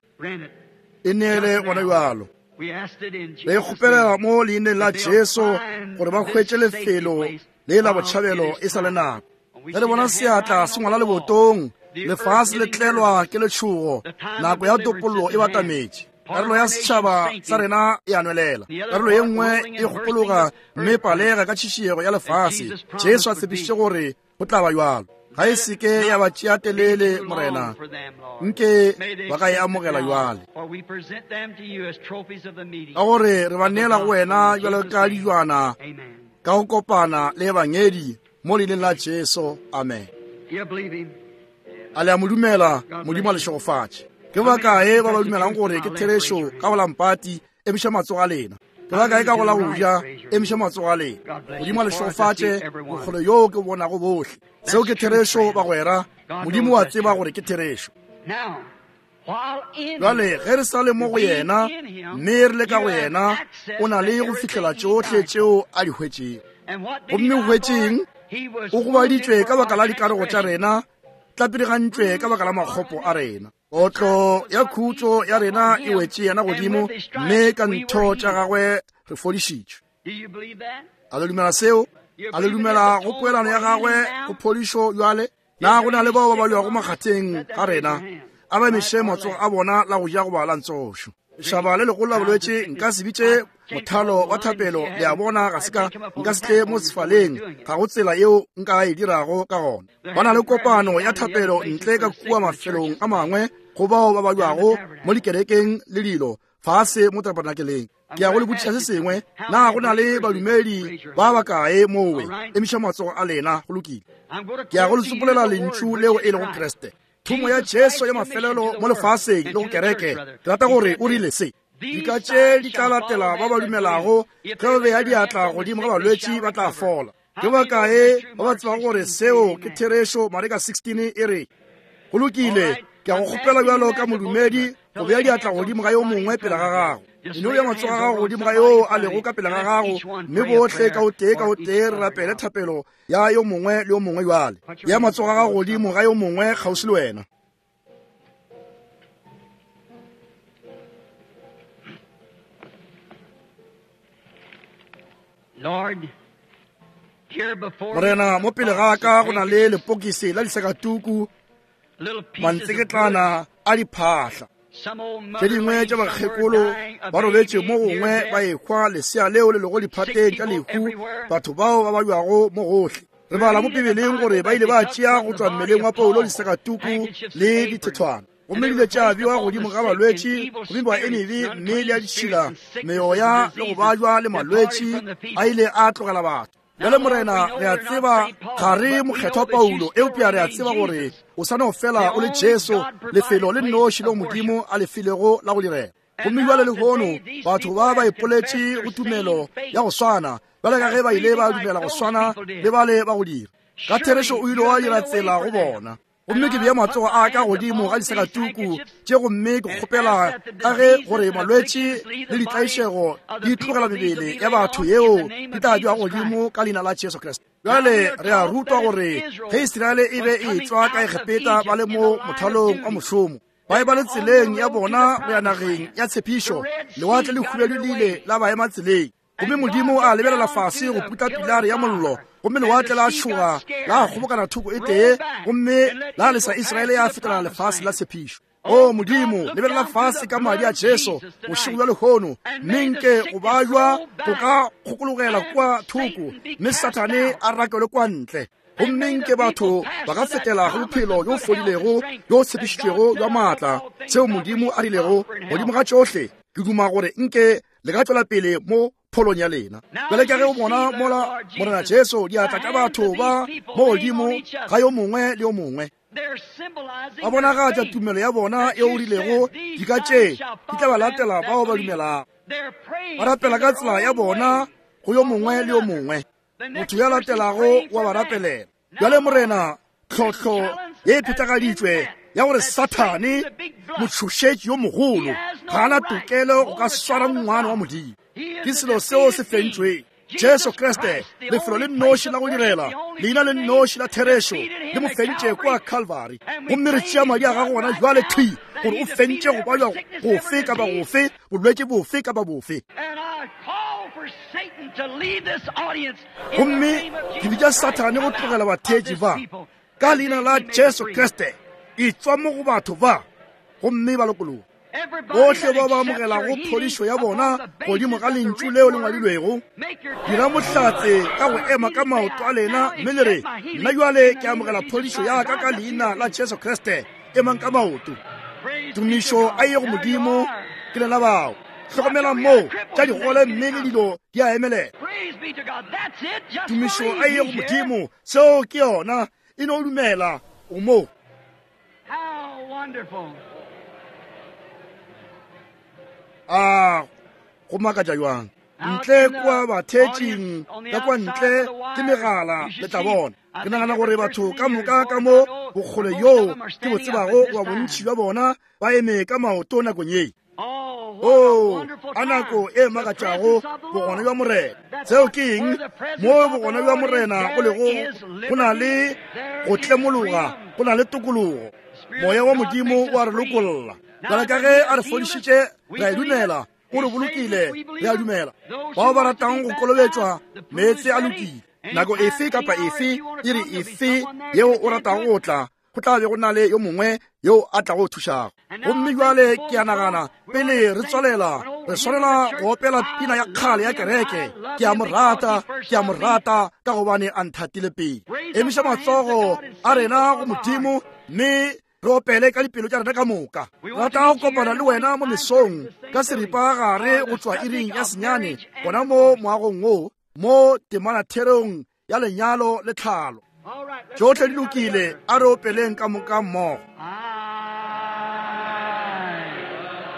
E neele gona bjalo. Re kgopelela mo leineng la Jesu gore ba hwetše lefelo le la botšhabelo e sa le nako. Ge re bona seatla se ngwala lebotong, lefase le tlelwa ke letšhogo, nako ya topollo e batametše. Karolo ya setšhaba sa rena e a nwelela, karolo ye nngwe e kgopologa mme palega ka tšhišiego ya lefase. Jesu a tshepišitše gore go tla ba bjalo. Ga e seke ya ba tšea telele, Morena, nke ba ka e amogela bjale, ka gore re ba neela go wena bjalo ka dijwana ka go kopana le ebangedi mo leineng la Jesu. Amen. A le a mo dumela? Modimo a le šegofatše. Ke ba kae ba ba dumelang gore ke therešo ka go la mpati? Emiša matsogo a lena. Ke ba kae ka go la go ja? Emiša matsogo a lena. Modimo a le šegofatše, bokgole yo ke bonago bohle. Seo ke therešo, bagwera. Modimo wa tseba gore ke therešo. Bjale ge re sa le mo go yena mme re le ka go yena, o na le go fihlela tšohle tšeo a di hwetšego. Gomme o hwetšeng? O gobaditšwe ka baka la dikarogo tša rena, tlapirigantšwe ka baka la makgopo a rena. Otlo ya khutšo ya rena e wetše yena godimo, mme ka ntho tša gagwe re fodišitšwe. A le dumela seo? A le dumela go poelano ya gagwe go phodišo bjale? Na go na le bao ba balwago makgatheng ga rena? A ba emiše matsogo a bona la go ja goba la ntsošo. Lešaba le legolo la bolwetši, nka se bitše mothalo wa thapelo, le a bona, ga se ka nka se tle mo sefaleng, ga go tsela yeo nka e dirago ka gona. Ba na le kopano ya thapelo ntle ka kua mafelong a mangwe go bao ba balwago mo dikerekeng le dilo fase mo tabernakeleng. Ke ya go le botšiša se sengwe, na go na le badumedi ba bakae mowe? Emiša matsogo a lena. Go lokile. Ke ya go le tsopolela lentšu leo e lego Kriste. Thomo ya Jesu ya mafelelo mo lefaseng le go kereke, ke rata gore o rile se: dika tše di tla latela ba ba dumelago, ge ba beya diatla godimo ga balwetši ba tla fola. Ke bakae ba ba tsebago gore seo ke therešo? Mareka sixteen e re. Go lokile, ke a go kgopela bjalo ka modumedi go bea diatla godimo ga yo mongwe pele ga gago. Eno ya matsogo a gago godimo ga yoo a lego ka pele ga gago, mme bohle ka o tee ka o tee re rapele thapelo ya yo mongwe le yo mongwe. Bjale ya matsogo a gago godimo ga yo mongwe kgauswi le wena. Morena, mo pele ga ka go na le lepokisi la disakatuku, mantseketlana a diphahla. Tše dingwe tša bakgekolo ba robetše mo gongwe ba ehwa, lesea leo le lego diphateng tša lehu, batho bao ba balwago mo gohle. Re bala mo Bibeleng gore ba ile ba tšea go tšwa mmeleng wa Paulo disakatuku le dithethwana, gomme di ile tša bewa godimo ga balwetši, gomme ba e mebe mme le ya ditšhila, meoya le go bajwa le malwetši a ile a tlogela batho. Bjale Morena, re a tseba ga re mokgethwa Paulo, eupša re a tseba gore o sa no fela o le Jesu, lefelo le nnoši leo Modimo a le filego la go direla. Gomme bjale lehono batho ba ba ipoletše go tumelo ya go swana, bjale ka ge ba ile ba dumela go swana le bale ba go dira. Ka therešo o ile wa dira tsela go bona. Gomme ke bea matsogo a ka godimo ga disakatuku tše, gomme ke kgopela ka ge gore malwetši le ditlaišego di tlogela mebele ya batho yeo di tla bewa godimo ka leina la Jesu Kriste. Bjale re a rutwa gore ge Israele e be e tšwa ka Egepeta ba le mo mothalong wa mošomo, ba e ba le tseleng ya bona go ya nageng ya tshepišo, lewatle le hubedu le ile la ba ema tseleng. Gomme Modimo a lebelela fase go putla pilare ya mollo, gomme lewatle la tšhoga la kgobokana thoko e tee, gomme la lesa Israele ya fetela lefase la tshepišo. O Modimo, lebelela fase ka madi a Jesu bošego bja lehono, mme nke go bajwa go ka kgokologela kua thoko, mme Sathane a rakelwe kwa ntle. Gomme nke batho ba ka fetela go bophelo bjo fodilego bjo tshepišitšwego bja maatla, seo Modimo a rilego godimo ga tšohle. Ke duma gore nke le ka tšwela pele mo pholong ya lena. Bjale ka ge o bona mola Morena Jesu diatla tša batho ba mo godimo ga yo mongwe le yo mongwe, ba bonagatša tumelo ya bona e o rilego dika tše di tla ba latela bao ba dumelago. Ba rapela ka tsela ya bona go yo mongwe le yo mongwe, motho ya latelago wa ba rapelela. Bjale Morena, tlhohlo ye e phethagaditšwe ya gore Sathane motšhošetši yo mogolo ga ana tokelo go ka swara ngwana wa Modimo, ke selo seo se fentšweng. Jesu Kriste, lefelo le nnoši la go direla, leina le nnoši la therešo, le mo fentše kua Calvary. Gomme re tšea madi a gago gona jwale thwi gore o fentše go bajwa gofe kapa gofe, bolwetši bofe kapa bofe. Gomme ke bitša Sathane go tlogela batheetši ba ka leina la Jesu Kriste, e tšwa mo go batho ba, gomme ba lokologa. Bohle ba ba amogelago phodišo ya bona godimo ga lentšu leo le ngwadilwego, dira mohlatse ka go ema ka maoto a lena mme le re, nna jwale ke amogela phodišo ya ka ka leina la Jesu Kriste. Emang ka maoto. Tumišo a ye go Modimo. Ke lena bao. Hlokomelang moo tša digole mme le dilo di a emelela. Tumišo a ye go Modimo. Seo ke yona. E no dumela o mo. A go makatša jwang. Ntle kua batheetšing ka kwa ntle ke megala le tla bona. Ke nagana gore batho ka moka ka mo bokgole yoo ke bo tsebago wa bontši bja bona ba eme ka maoto nakong ye. Oh, a nako e makatšago, bogona bja Morena. Seo ke eng? Mo bogona bja Morena go lego, go na le go tlemologa, go na le tokologo. Moya wa Modimo wa re lokolla. Bjale ka ge a re fodišitše, re a e dumela, o re bolokile, re a dumela. Bao ba ratang go kolobetšwa, meetse a lokile. Nako efe kapa efe, iri efe yeo o ratago go tla, go tla be go na le yo mongwe yo a tlago thušago. Gomme jwale ke a nagana pele re tswalela, re swanela go opela pina ya kgale ya kereke. Ke a mo rata, ke a mo rata ka gobane a nthatile pele. Emiša matsogo a rena go Modimo mme re opele ka dipelo tša rena ka moka. Rata go kopana le wena mo mesong ka seripa gare go tšwa iring ya senyane, gona mo moagong wo, mo temanatherong ya lenyalo le tlhalo. Tšohle di lokile, a re opeleng ka moka mmogo.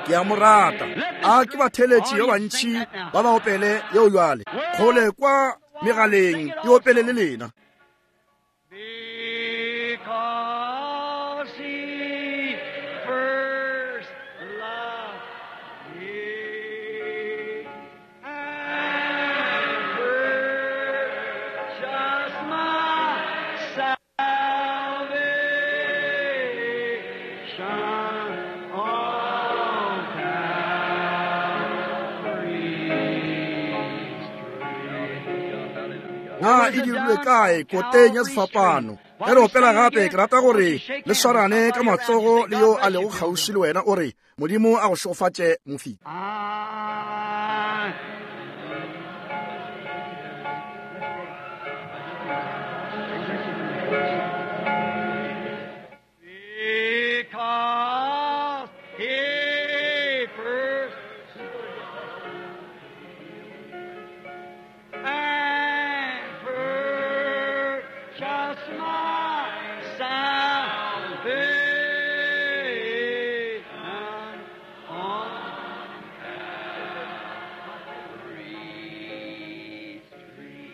Ke a mo rata. A ke batheletši ba bantši ba ba opele yeo jwale. Kgole kwa megaleng e opele le lena. Because he first loved me and purchased my salvation on Calvary's tree. Na e dirilwe kae koteng ya sefapano? Ge re opela gape, ke rata gore le swarane ka matsogo le yo a lego kgauswi le wena, o re Modimo a go šegofatše mofiki. I because he first and purchased my salvation on Calvary's tree.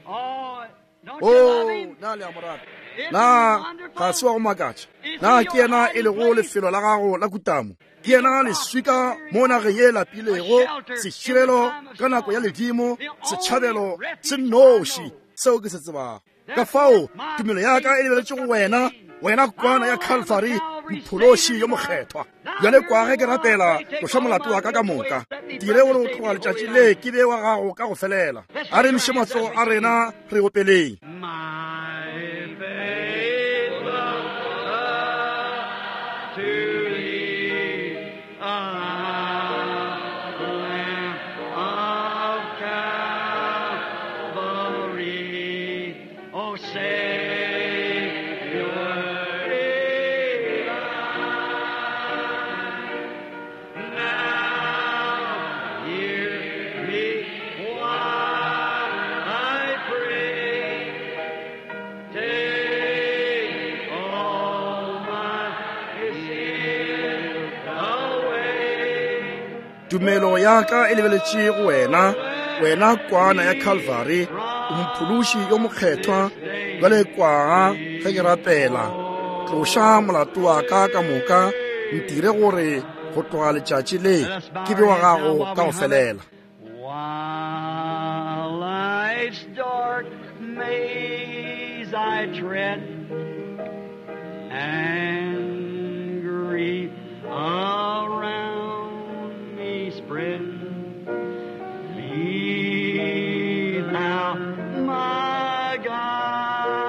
Oh, don't you love Oh, him? na le a mo rata? Isn't Na he wonderful? ga se wa go makatša? Na ke yena e lego lefelo la gago la kutamo? Ke yena leswika mo nageng ye lapilego, seširelo ka nako ya ledimo, setšhabelo se nnoši seo ke se tsebago. Ka fao tumelo ya ka e lebeletše go wena, wena kwana ya Calvary, mophološi yo mokgethwa. Bjale kwa ge ke rapela, tloša molato wa ka ka moka. Dire gore o tloga letšatši le ke be wa gago ka go felela. A re emiše matsogo a rena re opeleng. My faith looks up to thee, Lamb of Calvary, O Savior divine. Now hear me while I pray. Take all my sin away. Tumelo ya ka e lebeletše go wena, wena kwana ya Calvary, o mophološi yo mokgethwa. Bjale kwa ge ke rapela, tloša molato wa ka ka moka, ntire gore go tloga letšatši le ke be wa gago ka go felela. While life's dark maze I tread, and grief around me spread, be thou my guide.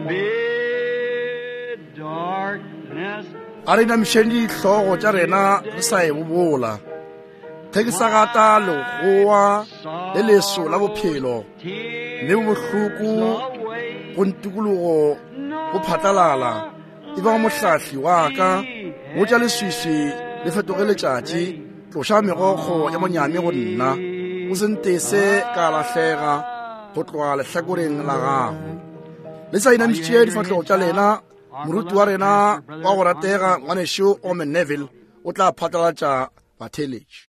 Bid darkness A re inamišeng dihlogo tša rena re sa e bobola. Ge ke sa gata legoa le leso la bophelo, mme bohloko go ntikologo go phatlalala, e ba mohlahli wa ka, botša leswiswi le fetoge letšatši, tloša megokgo ya monyami go nna, o se ntese ka lahlega go tloga lehlakoreng la gago. Le sa inamišitše difahlogo tša lena, moruti wa rena wa go ratega ngwanešu Orman Neville o tla phatlalatša batheeletši.